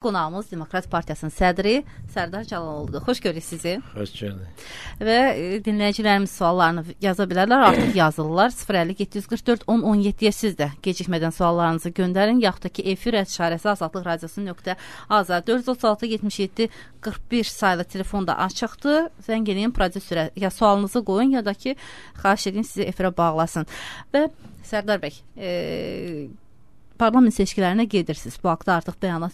Qonağımız Demokrat Partiyasının sədri Sərdar Cəlaloğlu'dur. Xoş görürük sizi. Xoş gördük. Və dinləyicilərimiz suallarını yaza bilərlər. Artıq yazırlar. 050-744-10-17-yə siz də gecikmədən suallarınızı göndərin. Yaxud da ki, efir @şarəsi azadlıqradiosu.az 436-77-41 sayılı telefonda açıqdır. Zəng eləyin prodüserə ya sualınızı qoyun ya da ki, xahiş edin sizi efirə bağlasın. Və Sərdar bəy, parlament seçkilərinə gedirsiniz. Bu haqda artıq bəyanat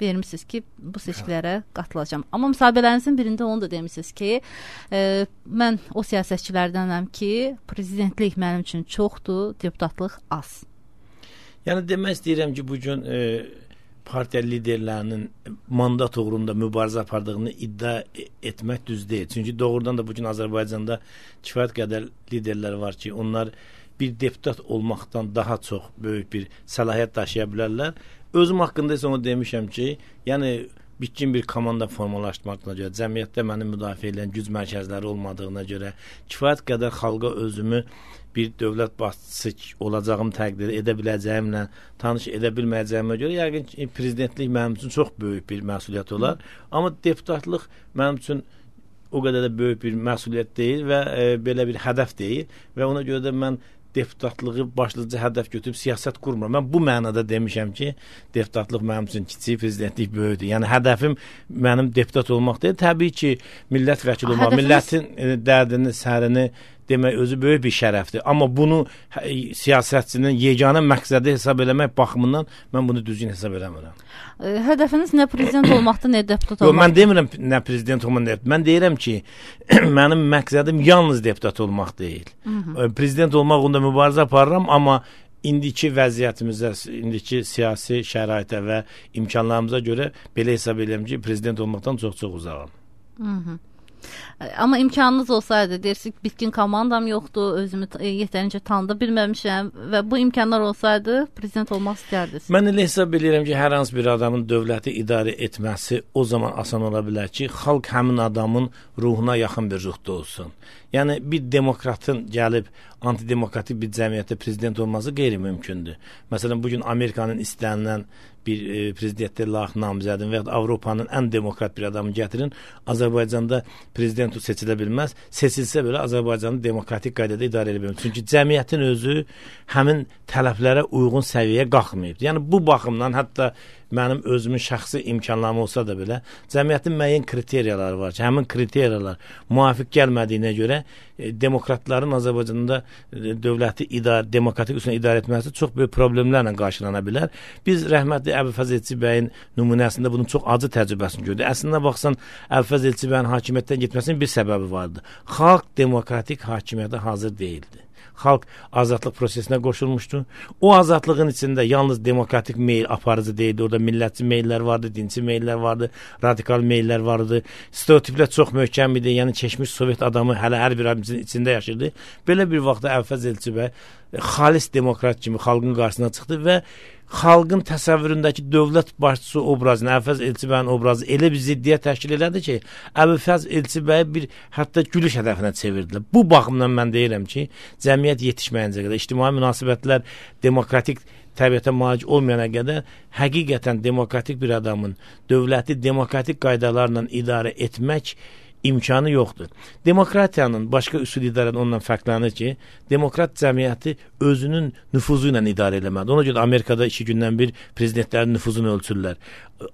vermişsiniz ki, bu seçkilərə qatılacağam. Amma müsahibələrinizin birində onu da demişsiniz ki, mən o siyasətçilərdənəm ki, prezidentlik mənim üçün çoxdur, deputatlıq az. Yəni demək istəyirəm ki, bugün partiya liderlərinin mandat uğrunda mübarizə apardığını iddia etmək düz deyil. Çünki doğrudan da bugün Azərbaycanda kifayət qədər liderlər var ki, onlar bir deputat olmaqdan daha çox böyük bir səlahiyyət daşıya bilərlər. Özüm haqqında isə onu demişəm ki, yəni bitkin bir komanda formalaşdırmaqla görə, cəmiyyətdə məni müdafiə edən güc mərkəzləri olmadığına görə, kifayət qədər xalqa özümü bir dövlət başçısı olacağım təqdir edə biləcəyimlə tanış edə bilməyəcəyimə görə, yəqin ki, prezidentlik mənim üçün çox böyük bir məsuliyyət olar. Amma deputatlıq mənim üçün o qədər də böyük bir məsuliyyət deyil və belə bir hədəf deyil və ona görə də mən deputatlığı başlıca hədəf götürüb siyasət qurmuram. Mən bu mənada demişəm ki, deputatlıq mənim üçün kiçik, prezidentlik böyükdür. Yəni hədəfim mənim deputat olmaq deyil. Təbii ki, millət vəkili olmaq, millətin dərdini, sərini demək özü böyük bir şərəfdir. Amma bunu siyasətçinin yeganə məqsədi hesab eləmək baxımından mən bunu düzgün hesab eləmirəm. Hədəfiniz nə prezident olmaqdır, nə deputat olmaqdır? Mən demirəm nə prezident olmaq, mən deyirəm ki, mənim məqsədim yalnız deputat olmaq deyil. Prezident olmaq onda mübarizə aparıram, amma indiki vəziyyətimizə, indiki siyasi şəraitə və imkanlarımıza görə belə hesab edirəm ki, prezident olmaqdan çox-çox uzağam. Amma imkanınız olsaydı, deyirsiniz, bitkin komandam yoxdur, özümü yetərincə tanıda bilməmişəm və bu imkanlar olsaydı, prezident olmaq istərdiniz. Mən elə hesab edirəm ki, hər hansı bir adamın dövləti idarə etməsi o zaman asan ola bilər ki, xalq həmin adamın ruhuna yaxın bir ruhda olsun. Yəni, bir demokratın gəlib antidemokratik bir cəmiyyətdə prezident olması qeyri-mümkündür. Məsələn, bugün Amerikanın istənilən bir prezidentə layiq namizədin və ya Avropanın ən demokrat bir adamı gətirin, Azərbaycanda prezident seçilə bilməz. Seçilsə belə Azərbaycanı demokratik qaydada idarə edə bilməz. Çünki cəmiyyətin özü həmin tələblərə uyğun səviyyəyə qalxmayıb. Yəni, bu baxımdan hətta mənim özümün şəxsi imkanlarım olsa da belə, cəmiyyətin müəyyən kriteriyaları var ki, həmin kriteriyalar müvafiq gəlmədiyinə görə demokratların Azərbaycanda dövləti demokratik üsulla idarə etməsi çox böyük problemlərlə qarşılana bilər. Biz rəhmətli Əbülfəz Elçi bəyin nümunəsində bunun çox acı təcrübəsini gördük. Əslində baxsan, Əbülfəz Elçi bəyin hakimiyyətdən getməsinin bir səbəbi vardı. Xalq demokratik hakimiyyətə hazır deyildi. Xalq azadlıq prosesinə qoşulmuşdu. O azadlığın içində yalnız demokratik meyl aparıcı deyildi. Orada millətçi meyllər vardı, dinçi meyllər vardı, radikal meyllər vardı. Stereotiplər çox möhkəm idi. Yəni keçmiş Sovet adamı hələ hər bir adamın içində yaşırdı. Belə bir vaxtda Əbülfəz Elçi bəy xalis demokrat kimi xalqın qarşısına çıxdı və xalqın təsəvvüründəki dövlət başçısı obrazını, Əbülfəz Elçi bəyin obrazı elə bir ziddiyyət təşkil elədi ki, Əbülfəz Elçi bəyi bir hətta gülüş hədəfinə çevirdilər. Bu baxımdan mən deyirəm ki, cəmiyyət yetişməyincə qədər, ictimai münasibətlər demokratik təbiətə malik olmayana qədər həqiqətən demokratik bir adamın dövləti demokratik qaydalarla idarə etmək imkanı yoxdur. Demokratiyanın başqa üsul idarədən ondan fərqlənir ki, demokrat cəmiyyəti özünün nüfuzu ilə idarə eləməlidir. Ona görə Amerikada 2 gündən bir prezidentlərin nüfuzunu ölçürlər.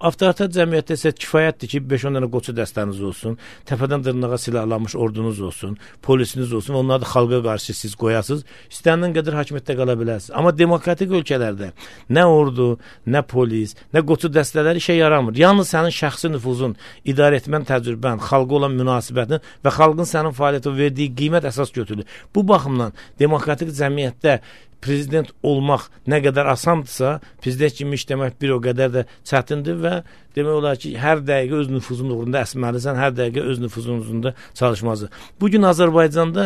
Avtoritar cəmiyyətdə isə kifayətdir ki, 5-10 dənə qoçu dəstəniz olsun, təpədən dırnağa silahlanmış ordunuz olsun, polisiniz olsun, onları da xalqa qarşı siz qoyasınız, istənilən qədər hakimiyyətdə qala bilərsiniz. Amma demokratik ölkələrdə nə ordu, nə polis, nə qoçu dəstələri işə yaramır. Yalnız sənin şəxsi nüfuzun, idarə etmən təcrübən, xalqa olan münasibətin və xalqın sənin fəaliyyətə verdiyi qiymət əsas götürülür. Bu baxımdan demokratik cəmiyyətdə prezident olmaq nə qədər asandırsa, prezident kimi işləmək bir o qədər də çətindir və demək olar ki, hər dəqiqə öz nüfuzun uğrunda əsməlisən, hər dəqiqə öz nüfuzun uğrunda çalışmazdır. Bugün Azərbaycanda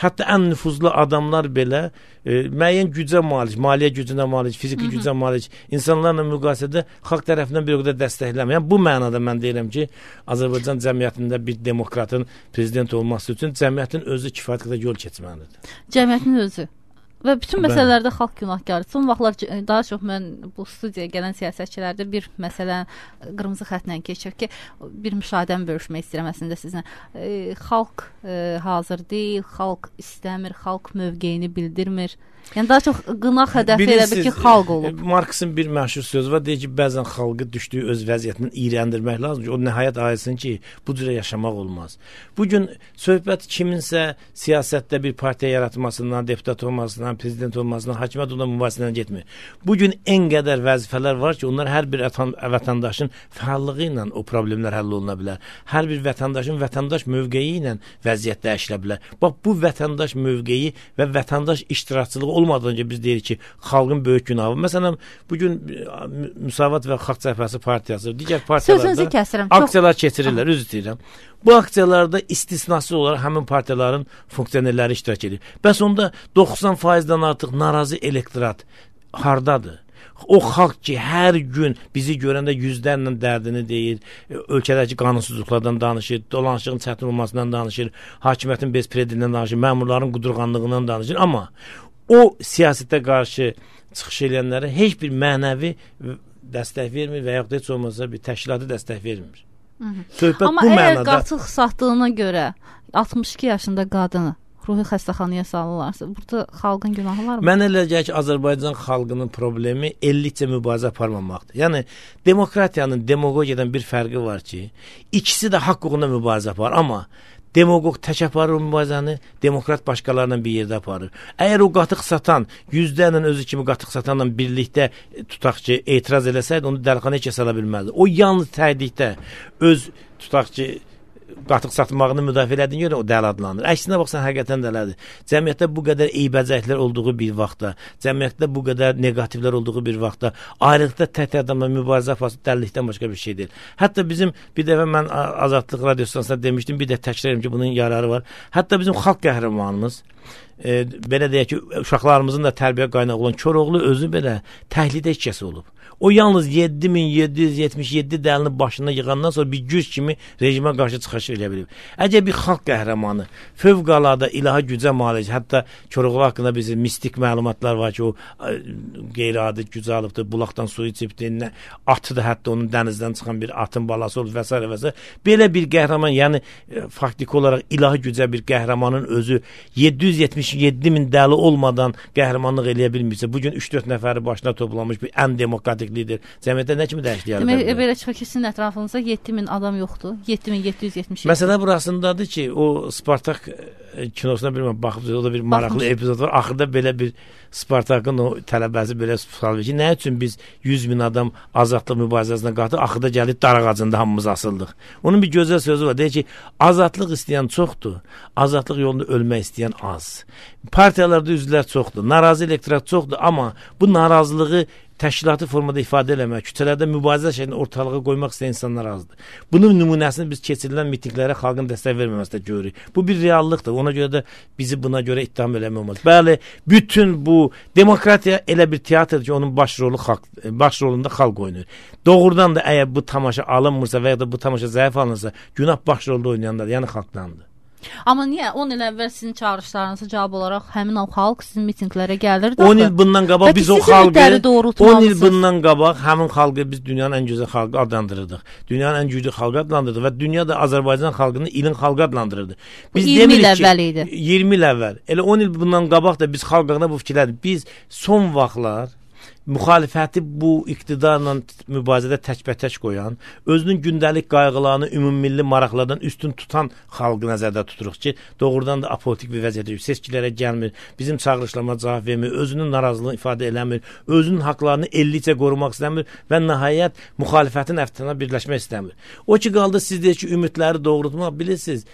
hətta ən nüfuzlu adamlar belə müəyyən gücə malik, maliyyə gücünə malik, fiziki gücə malik insanlarla müqayisədə xalq tərəfindən bir o qədər dəstəklənmir. Yəni, bu mənada mən deyirəm ki, Azərbaycan cəmiyyətində bir demokratın prezident olması üçün cəmiyyətin özü kifayət qədər yol keçməlidir. Cəmiyyətin özü. Və bütün məsələlərdə xalq günahkardır. Son vaxtlar daha çox mən bu studiyaya gələn siyasətçilərdə bir məsələ qırmızı xəttlə keçir ki, bir müşahidəmi bölüşmək istəyirəm əslində sizinlə. Xalq hazır deyil, xalq istəmir, xalq mövqeyini bildirmir. Yəni daha çox qınaq hədəfi elə bir ki, xalq olub. Marksın bir məşhur sözü var, deyir ki, bəzən xalqı düşdüyü öz vəziyyətindən iyrəndirmək lazım ki, o nəhayət ayılsın ki, bu cürə yaşamaq olmaz. Bugün söhbət kiminsə siyasətdə bir partiya yaratmasından, deputat olmasından, prezident olmasından, hakimiyyət olan mübahisədən getmir. Bugün en qədər vəzifələr var ki, onlar hər bir vətəndaşın fəallığı ilə o problemlər həll oluna bilər. Hər bir vətəndaşın vətəndaş mövqeyi ilə vəziyyət dəyişilə bilər. Bax, bu vətəndaş mövqeyi və vətəndaş iştirakçılığı olmadan önce biz deyirik ki, xalqın böyük günahı. Məsələn, bugün Müsavat və Xalq Cəbhəsi partiyası, digər partiyalarda aksiyalar keçirirlər, üzr istəyirəm. Bu aksiyalarda istisnasız olaraq həmin partiyaların funksionerləri iştirak edir. Bəs onda 90%-dən artıq narazı elektorat hardadır? O xalq ki, hər gün bizi görəndə yüzlərlə dərdini deyir, ölkədəki qanunsuzluqlardan danışır, dolanışığın çətin olmasından danışır, hakimiyyətin bezpredindən danışır, məmurların qudurğanlığından danışır. Amma o siyasətə qarşı çıxış edənlərə heç bir mənəvi dəstək vermir və yaxud da heç olmasa bir təşkilati dəstək vermir. Söhbət amma bu mənada. Amma əgər qatıq satdığına görə 62 yaşında qadını ruhi xəstəxanaya salırlarsa, burada xalqın günahı var mı? Mən elə gəlir ki, Azərbaycan xalqının problemi ellikcə mübarizə aparmamaqdır. Yəni, demokratiyanın demagogiyadan bir fərqi var ki, ikisi də haqq uğrunda mübarizə aparır, amma demagog tək aparır o mübarizəni, demokrat başqalarla bir yerdə aparır. Əgər o qatıq satan, yüzlərlə özü kimi qatıq satanla birlikdə tutaq ki, etiraz eləsəydi, onu dəlxanaya heç sala bilməzdi. O yalnız tədikdə öz tutaq ki, qatıq satmağını müdafiə elədiyinə görə o dəli adlanır. Əksinə baxsan, həqiqətən dələdir. Cəmiyyətdə bu qədər eybəcəklər olduğu bir vaxtda, cəmiyyətdə bu qədər negativlər olduğu bir vaxtda, ayrılıqda tək adamla mübarizə aparsa dəlilikdən başqa bir şey deyil. Hətta bizim bir dəfə mən Azadlıq radiostansiyasında demişdim, bir də təkrar edirəm ki, bunun yararı var. Hətta bizim xalq qəhrəmanımız, belə deyək ki, uşaqlarımızın da tərbiyə qaynağı olan Koroğlu özü belə təhlidə işçisi olub. O yalnız 7777 dəlini başına yığandan sonra bir güc kimi rejimə qarşı çıxış edə bilib. Əgər bir xalq qəhrəmanı fövqəladə ilahi gücə malik, hətta Koroğlu haqqında bizim mistik məlumatlar var ki, o qeyri-adi güc alıbdır, bulaqdan su içibdir, atı da hətta onun dənizdən çıxan bir atın balası olub və s. və s. Belə bir qəhrəman, yəni faktiki olaraq ilahi gücə bir qəhrəmanın özü 777 min dəli olmadan qəhrəmanlıq eləyə bilmirsə, bugün 3-4 nəfəri başına toplamış bir ən demokratik lider. Cəmiyyətdə nə kimi dəyişiklik demək, belə çıxır ki, sizin ətrafınızda 7000 adam yoxdur. 7777. Məsələ burasındadır ki, o Spartak kinosuna bilməm, baxıb, o da bir maraqlı epizod var. Axırda belə bir Spartakın o tələbəsi belə sual verir ki, nə üçün biz 100.000 adam azadlıq mübarizəsinə qatıb, axırda gəlib dar ağacında hamımız asıldıq. Onun bir gözəl sözü var. Deyir ki, azadlıq istəyən çoxdur, azadlıq yolunda ölmək istəyən az. Partiyalarda üzvlər çoxdur, narazı elektorat çoxdur, amma bu narazılığı təşkilatı formada ifadə eləmək, küçələrdə mübarizə şəklində ortalığa qoymaq istəyən insanlar azdır. Bunun nümunəsini biz keçirilən mitinglərə xalqın dəstək verməməsində görürük. Bu bir reallıqdır. Ona görə də bizi buna görə ittiham eləmək olmaz. Bəli, bütün bu demokratiya elə bir teatrdır ki, onun başrolunda xalq oynayır. Doğrudan da əgər bu tamaşa alınmırsa və ya da bu tamaşa zəif alınırsa, günah başrolda oynayanlar, yəni xalqdandır. Amma niyə 10 il əvvəl sizin çağırışlarınıza cavab olaraq həmin o xalq sizin mitinqlərə gəlirdi? 10 il bundan qabaq biz o xalqı, 10 il bundan qabaq həmin xalqı biz dünyanın ən gözəl xalqı adlandırırdıq. Dünyanın ən güclü xalqı adlandırırdıq və dünya da Azərbaycan xalqını ilin xalqı adlandırırdı. Biz 20 il əvvəl idi. 20 il əvvəl. Elə 10 il bundan qabaq da biz xalqına bu fikirlərdik. Biz son vaxtlar müxalifəti bu iqtidarla mübarizədə təkbətək qoyan, özünün gündəlik qayğılarını ümummilli maraqlardan üstün tutan xalqı nəzərdə tuturuq ki, doğrudan da apolitik bir vəziyyətdə seçkilərə gəlmir, bizim çağırışlarına cavab vermir, özünün narazılığını ifadə eləmir, özünün haqlarını ellicə qorumaq istəmir və nəhayət müxalifətin əftinə birləşmək istəmir. O ki, qaldı siz deyək ki, ümidləri doğrultmaq, bilirsiniz,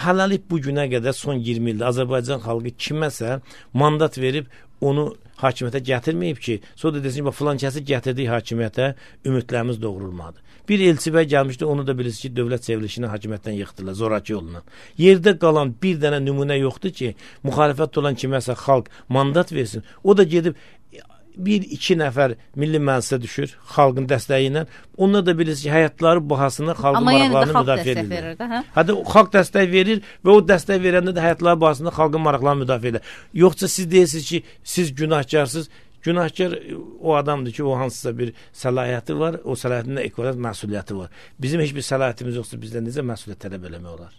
hələlik bu günə qədər son 20 ildə Azərbaycan xalqı kiməsə mandat verib onu hakimiyyətə gətirməyib ki, sonra da desin ki, filan kəsi gətirdiyi hakimiyyətə ümidlərimiz doğrulmadı. Bir elçi bəy gəlmişdi, onu da bilirsiniz ki, dövlət çevrilişini hakimiyyətdən yıxdılar, zoraki yolundan. Yerdə qalan bir dənə nümunə yoxdur ki, müxalifət olan kiməsə xalq mandat versin. O da gedib 1-2 nəfər milli məclisə düşür xalqın dəstəyi ilə. Onlar da bilirsiniz ki, həyatları bahasına xalqın maraqlarını müdafiə edirlər. Hətta xalq dəstək verir və o dəstək verəndə də həyatları bahasına xalqın maraqlarını müdafiə edirlər. Yoxsa siz deyirsiniz ki, siz günahkarsınız. Günahkar o adamdır ki, o hansısa bir səlahiyyəti var, o səlahiyyətində ekvivalent məsuliyyəti var. Bizim heç bir səlahiyyətimiz yoxsa bizdən necə məsuliyyət tələb eləmək olar?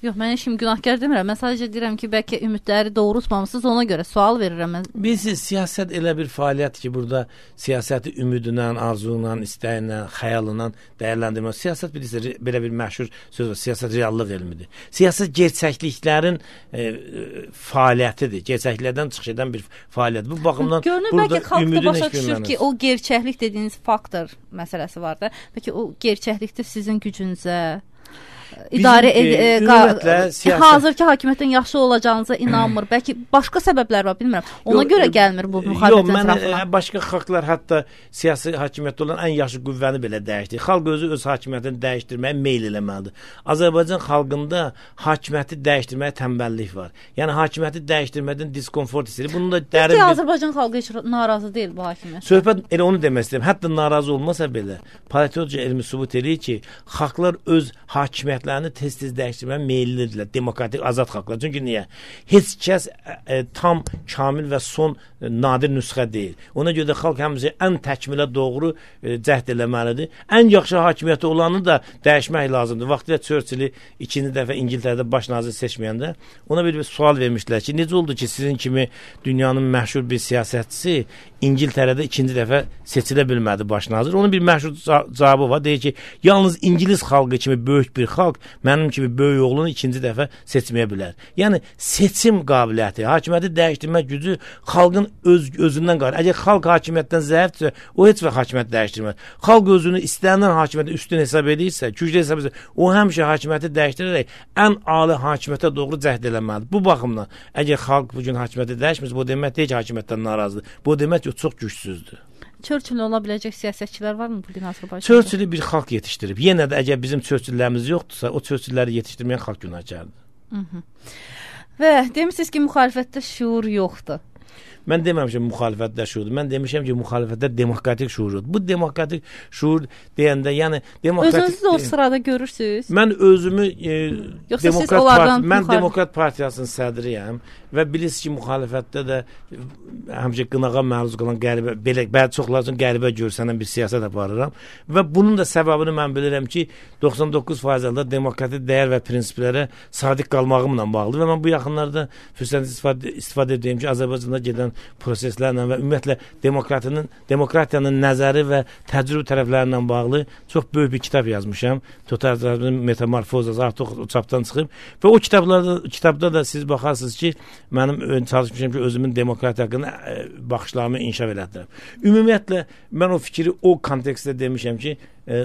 Yox, mən şimdi günahkar demirəm. Mən sadəcə deyirəm ki, bəlkə ümidləri doğrultmamışsınız, ona görə sual verirəm mən. Bilirsiniz, siyasət elə bir fəaliyyət ki, burada siyasəti ümidlə, arzuyla, istəyinlə, xəyalına dəyərləndirmək. Siyasət bilirsiniz, belə bir məşhur söz var, siyasət reallıq elmidir. Siyasət gerçəkliklərin fəaliyyətidir, gerçəkliklərdən çıxış edən bir fəaliyyət. Bu baxımdan görünür, burada bəlkə xalq da başa düşür ki, o gerçəklik dediyiniz faktor məsələsi var da. Bəlkə o gerçəklikdir sizin gücünüzə hazırki hakimiyyətin yaxşı olacağınıza inanmır. Bəlkə başqa səbəblər var, bilmirəm. Ona görə gəlmir bu müxalifətin tərəfindən. Başqa xalqlar hətta siyasi hakimiyyətdə olan ən yaxşı qüvvəni belə dəyişdir. Xalq özü öz hakimiyyətini dəyişdirməyə meyl eləməlidir. Azərbaycan xalqında hakimiyyəti dəyişdirməyə tənbəllik var. Yəni hakimiyyəti dəyişdirmədən diskomfort istəyir. Bunun da dərin bir Azərbaycan xalqı heç narazı deyil bu hakimiyyətdən. Söhbət elə onu demək istəyirəm. Hətta narazı olmasa belə, politologiya elmi sübut edir ki, xalqlar öz hakimiyyətlərini tez-tez dəyişdirməyə meyillidirlər, demokratik, azad xalqlar. Çünki niyə? Heç kəs tam, kamil və son nadir nüsxə deyil. Ona görə də xalq həmişə ən təkmilə doğru cəhd eləməlidir. Ən yaxşı hakimiyyəti olanı da dəyişmək lazımdır. Vaxtilə Churchill-i ikinci dəfə İngiltərədə baş nazir seçməyəndə ona bir sual vermişdilər ki, necə oldu ki, sizin kimi dünyanın məşhur bir siyasətçisi İngiltərədə ikinci dəfə seçilə bilmədi baş nazir. Onun bir məşhur cavabı var. Deyir ki, yalnız İngilis xalqı kimi böyük bir xalq mənim kimi böyük oğlunu ikinci dəfə seçməyə bilər. Yəni seçim qabiliyyəti, hakimiyyəti dəyişdirmə gücü xalqın özündən qalır. Əgər xalq hakimiyyətdən zəifdirsə, o heç vaxt hakimiyyət dəyişdirməz. Xalq özünü istənilən hakimiyyətə üstün hesab edirsə, güclü hesab edirsə, o həmişə hakimiyyəti dəyişdirərək ən ali hakimiyyətə doğru cəhd eləməlidir. Bu baxımdan, əgər xalq bu gün hakimiyyəti dəyişmirsə, bu demək deyil ki, hakimiyyətdən narazıdır. Bu demək ki, o çox gücsüzdür. Churchill ola biləcək siyasətçilər varmı bu gün Azərbaycanda? Churchill bir xalq yetişdirib. Yenə də əgər bizim Churchilllərimiz yoxdursa, o Churchillləri yetişdirməyən xalq günahkardır. Və demişsiniz ki, müxalifətdə şuur yoxdur. Mən deməmişəm müxalifətdə şuurdur. Mən demişəm ki, müxalifətdə demokratik şuurdur. Bu demokratik şuur deyəndə, yəni özünüzü də o sırada görürsünüz? Mən özümü Demokrat Partiyasının sədriyəm və bilirsiniz ki, müxalifətdə də həmişə qınağa məruz qalan qəribə, belə çoxlar üçün qəribə görsənən bir siyasət aparıram və bunun da səbəbini mən bilirəm ki, 99% halda demokratik dəyər və prinsiplərə sadiq qalmağımla bağlı və mən bu yaxınlarda fürsətdən istifadə edeyim ki, Azərbaycanda gedən proseslərlə və ümumiyyətlə demokratiyanın nəzəri və təcrübə tərəflərindən bağlı çox böyük bir kitab yazmışam. Totalitarizmin metamorfozası artıq o çapdan çıxıb və o kitabda da siz baxarsınız ki, mənim çalışmışam ki, özümün demokratiya haqqında baxışlarımı inkişaf elətdirəm. Ümumiyyətlə, mən o fikri o kontekstdə demişəm ki,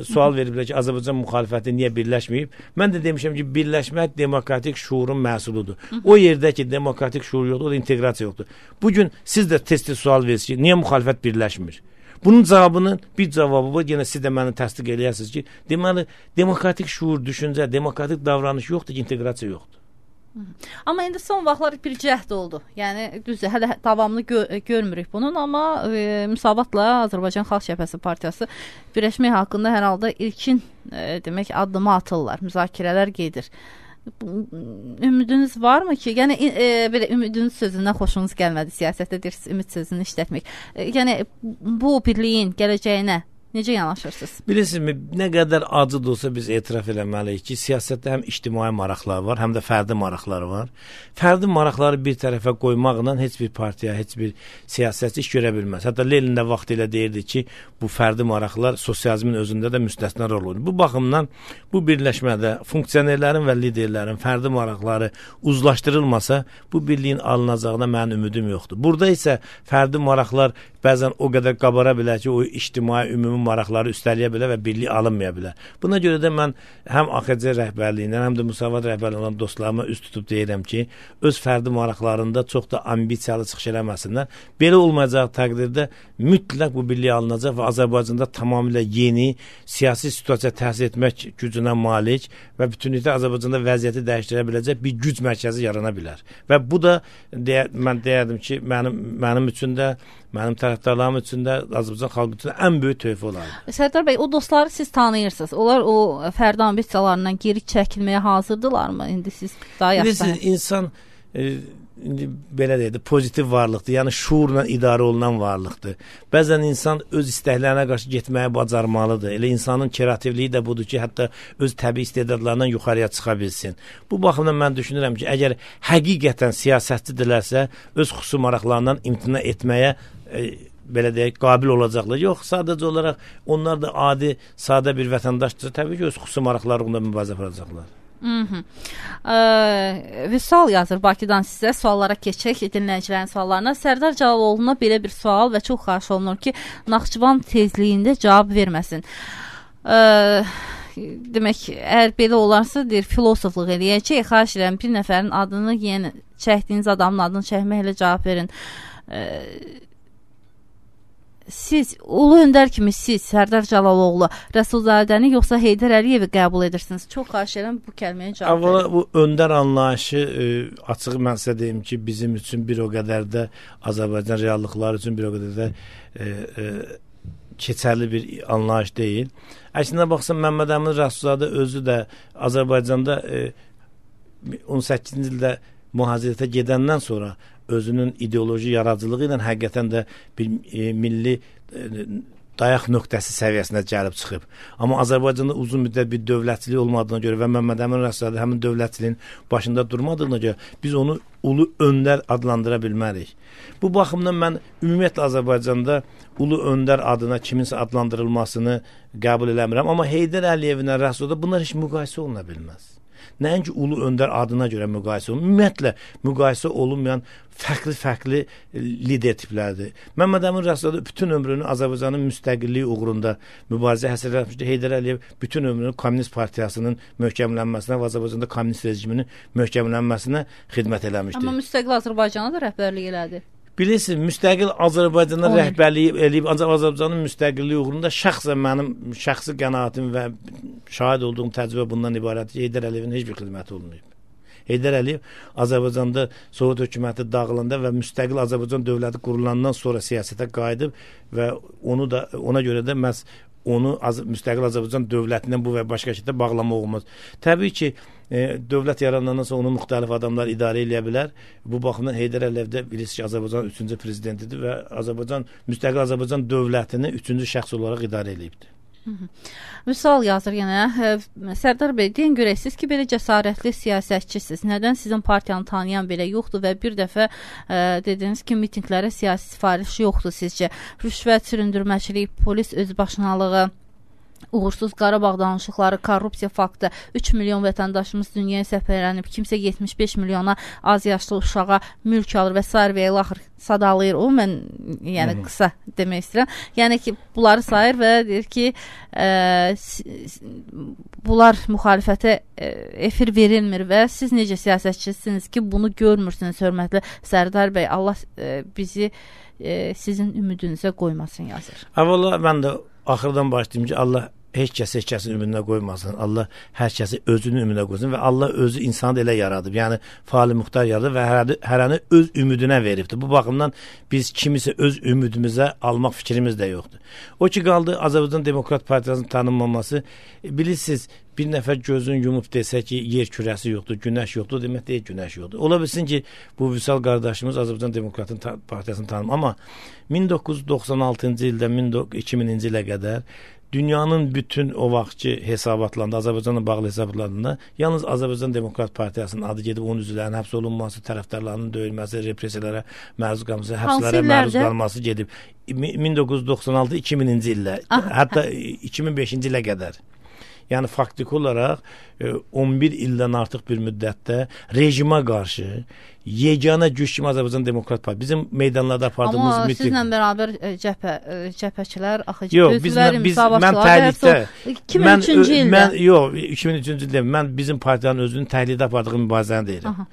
sual veriblər ki, Azərbaycan müxalifəti niyə birləşməyib? Mən də demişəm ki, birləşmək demokratik şuurun məhsuludur. O yerdə ki, demokratik şuur yoxdur, o da inteqrasiya yoxdur. Bugün siz də tez-tez sual verirsiniz ki, niyə müxalifət birləşmir? Bunun cavabının bir cavabı var, yenə siz də məni təsdiq eləyərsiniz ki, deməli, demokratik şuur, düşüncə, demokratik davranış yoxdur ki, inteqrasiya yoxdur. Amma indi son vaxtlar bir cəhd oldu. Yəni düzdür, hələ davamlı görmürük bunun, amma müsavatla Azərbaycan Xalq Cəbhəsi Partiyası birləşmək haqqında hər halda ilkin demək addımı atırlar, müzakirələr gedir. Ümidiniz varmı ki, yəni belə ümidiniz sözündən xoşunuz gəlmədi siyasətdə deyirsiniz, ümid sözünü işlətmək. Yəni bu birliyin gələcəyinə necə yanaşırsınız? Bilirsinizmi, nə qədər acı da olsa biz etiraf eləməliyik ki, siyasətdə həm ictimai maraqlar var, həm də fərdi maraqlar var. Fərdi maraqları bir tərəfə qoymaqla heç bir partiya, heç bir siyasətçi iş görə bilməz. Hətta Lenin də vaxtilə deyirdi ki, bu fərdi maraqlar sosializmin özündə də müstəsna rol oynuyor. Bu baxımdan bu birləşmədə funksionerlərin və liderlərin fərdi maraqları uzlaşdırılmasa, bu birliyin alınacağına mənim ümidim yoxdur. Burada isə fərdi maraqlar bəzən o qədər qabara bilər ki, o ictimai ümumi maraqları üstəliyə bilər və birlik alınmaya bilər. Buna görə də mən həm AXC rəhbərliyindən, həm də Müsavat rəhbərliyi olan dostlarıma üst tutub deyirəm ki, öz fərdi maraqlarında çox da ambisiyalı çıxış eləməsinlər. Belə olmayacaq təqdirdə mütləq bu birlik alınacaq və Azərbaycanda tamamilə yeni siyasi situasiya təsir etmək gücünə malik və bütünlükdə Azərbaycanda vəziyyəti dəyişdirə biləcək bir güc mərkəzi yarana bilər. Və bu da mən deyərdim ki, mənim üçün də mənim tərəfdarlarım üçün də, Azərbaycan xalqı üçün də ən böyük töhfə olardı. Sərdar bəy, o dostları siz tanıyırsınız. Onlar o fərdi ambisiyalarından geri çəkilməyə hazırdırlarmı? İndi siz daha yaxşı. İnsan indi belə deyək də, pozitiv varlıqdır. Yəni şuurla idarə olunan varlıqdır. Bəzən insan öz istəklərinə qarşı getməyə bacarmalıdır. Elə insanın kreativliyi də budur ki, hətta öz təbii istedadlarından yuxarıya çıxa bilsin. Bu baxımdan mən düşünürəm ki, əgər həqiqətən siyasətçidirlərsə, öz xüsusi maraqlarından imtina etməyə belə deyək, qabil olacaqlar. Yox, sadəcə olaraq onlar da adi, sadə bir vətəndaşdırsa, təbii ki, öz xüsusi maraqlarında mübarizə aparacaqlar. Vüsal yazır Bakıdan sizə, suallara keçək, dinləyicilərin suallarına. Sərdar Cəlaloğlu'na belə bir sual və çox xahiş olunur ki, Naxçıvan tezliyində cavab verməsin. Demək, əgər belə olarsa, deyir, filosofluq eləyəcək, xahiş edirəm, bir nəfərin adını, yəni çəkdiyiniz adamın adını çəkməklə cavab verin. Siz, Ulu Öndər kimi siz, Sərdar Cəlaloğlu, Rəsulzadəni yoxsa Heydər Əliyevi qəbul edirsiniz? Çox xahiş edirəm, bu kəlməyə cavab verin. Bu öndər anlayışı, açıq mən sizə deyim ki, bizim üçün bir o qədər də Azərbaycan reallıqları üçün bir o qədər də keçərli bir anlayış deyil. Əslində baxsan, Məmməd Əmin Rəsulzadə özü də Azərbaycanda 18-ci ildə mühazirətə gedəndən sonra özünün ideoloji yaradıcılığı ilə həqiqətən də bir milli dayaq nöqtəsi səviyyəsinə gəlib çıxıb. Amma Azərbaycanda uzun müddət bir dövlətçilik olmadığına görə və Məmməd Əmin Rəsulzadə həmin dövlətçiliyin başında durmadığına görə biz onu ulu öndər adlandıra bilmərik. Bu baxımdan mən ümumiyyətlə Azərbaycanda ulu öndər adına kiminsə adlandırılmasını qəbul eləmirəm. Amma Heydər Əliyevlə Rəsulzadə bunlar heç müqayisə oluna bilməz. Nəinki ulu öndər adına görə müqayisə olunur. Ümumiyyətlə müqayisə olunmayan fərqli lider tiplərdir. Məmməd Əmin Rəsulzadə bütün ömrünü Azərbaycanın müstəqilliyi uğrunda mübarizə həsr etmişdi. Heydər Əliyev bütün ömrünü Kommunist Partiyasının möhkəmlənməsinə və Azərbaycanda kommunist rejiminin möhkəmlənməsinə xidmət eləmişdi. Amma müstəqil Azərbaycana da rəhbərlik elədi. Bilirsiniz, müstəqil Azərbaycana rəhbərliyi eləyib, ancaq Azərbaycanın müstəqilliyi uğrunda şəxsən mənim şəxsi qənaətim və şahid olduğum təcrübə bundan ibarətdir ki, Heydər Əliyevin heç bir xidməti olmayıb. Heydər Əliyev Azərbaycanda Sovet hökuməti dağılanda və müstəqil Azərbaycan dövləti qurulandan sonra siyasətə qayıdıb və ona görə də məhz onu müstəqil Azərbaycan dövlətindən bu və başqa şəkildə bağlamaq olmaz. Təbii ki, dövlət yaranandan sonra onu müxtəlif adamlar idarə edə bilər. Bu baxımdan Heydər Əliyev də bilirsiniz ki, Azərbaycanın 3-cü prezidentidir və müstəqil Azərbaycan dövlətini 3-cü şəxs olaraq idarə edibdir. Misal yazır yenə, Sərdar bəy, deyin görək, siz ki, belə cəsarətli siyasətçisiz, nədən sizin partiyanı tanıyan belə yoxdur və bir dəfə dediniz ki, mitinglərə siyasi sifariş yoxdur sizcə? Rüşvət, süründürməçilik, polis özbaşınalığı, uğursuz Qarabağ danışıqları, korrupsiya faktı, 3 milyon vətəndaşımız dünyaya səfərlənib, kimsə 75 milyona az yaşlı uşağa mülk alır və s. və ilaxır sadalayır. O, mən yəni qısa demək istəyirəm. Yəni ki, bunları sayır və deyir ki, bunlar müxalifətə efir verilmir və siz necə siyasətçisiniz ki, bunu görmürsünüz, hörmətli Sərdar bəy. Allah bizi sizin ümidinizə qoymasın, yazır. Əvvəla mən də axırdan başlayayım ki, Allah heç kəsin ümidinə qoymasın. Allah hər kəsi özünün ümidinə qoysun və Allah özü insanı elə yaradıb. Yəni faali muxtar yaradıb və hərəni öz ümidinə veribdir. Bu baxımdan biz kimisə öz ümidimizə almaq fikrimiz də yoxdur. O ki qaldı Azərbaycan Demokrat Partiyasının tanınmaması. Bilirsiniz, bir nəfər gözünü yumub desə ki, yer kürəsi yoxdur, günəş yoxdur, demək deyil, günəş yoxdur. Ola bilsin ki, bu Vüsal qardaşımız Azərbaycan Demokrat Partiyasını tanım. Amma 1996-cı ildən 2000-ci ilə qədər dünyanın bütün o vaxtki hesabatlarında, Azərbaycanla bağlı hesabatlarında yalnız Azərbaycan Demokrat Partiyasının adı gedib onun üzvlərinin həbs olunması, tərəfdarlarının döyülməsi, repressiyalara məruz qalması, həbslərə məruz qalması gedib 1996-2000-ci illə, hətta 2005-ci ilə qədər. Yəni faktiki olaraq 11 ildən artıq bir müddətdə rejimə qarşı yeganə güc kimi Azərbaycan Demokrat Partiyası. Bizim meydanlarda apardığımız amma sizlə bərabər cəbhəçilər, mən təhlükdə 2003-cü ildə. Yox, 2003-cü ildə mən bizim partiyanın özünün təhlükdə apardığı mübarizəni deyirəm.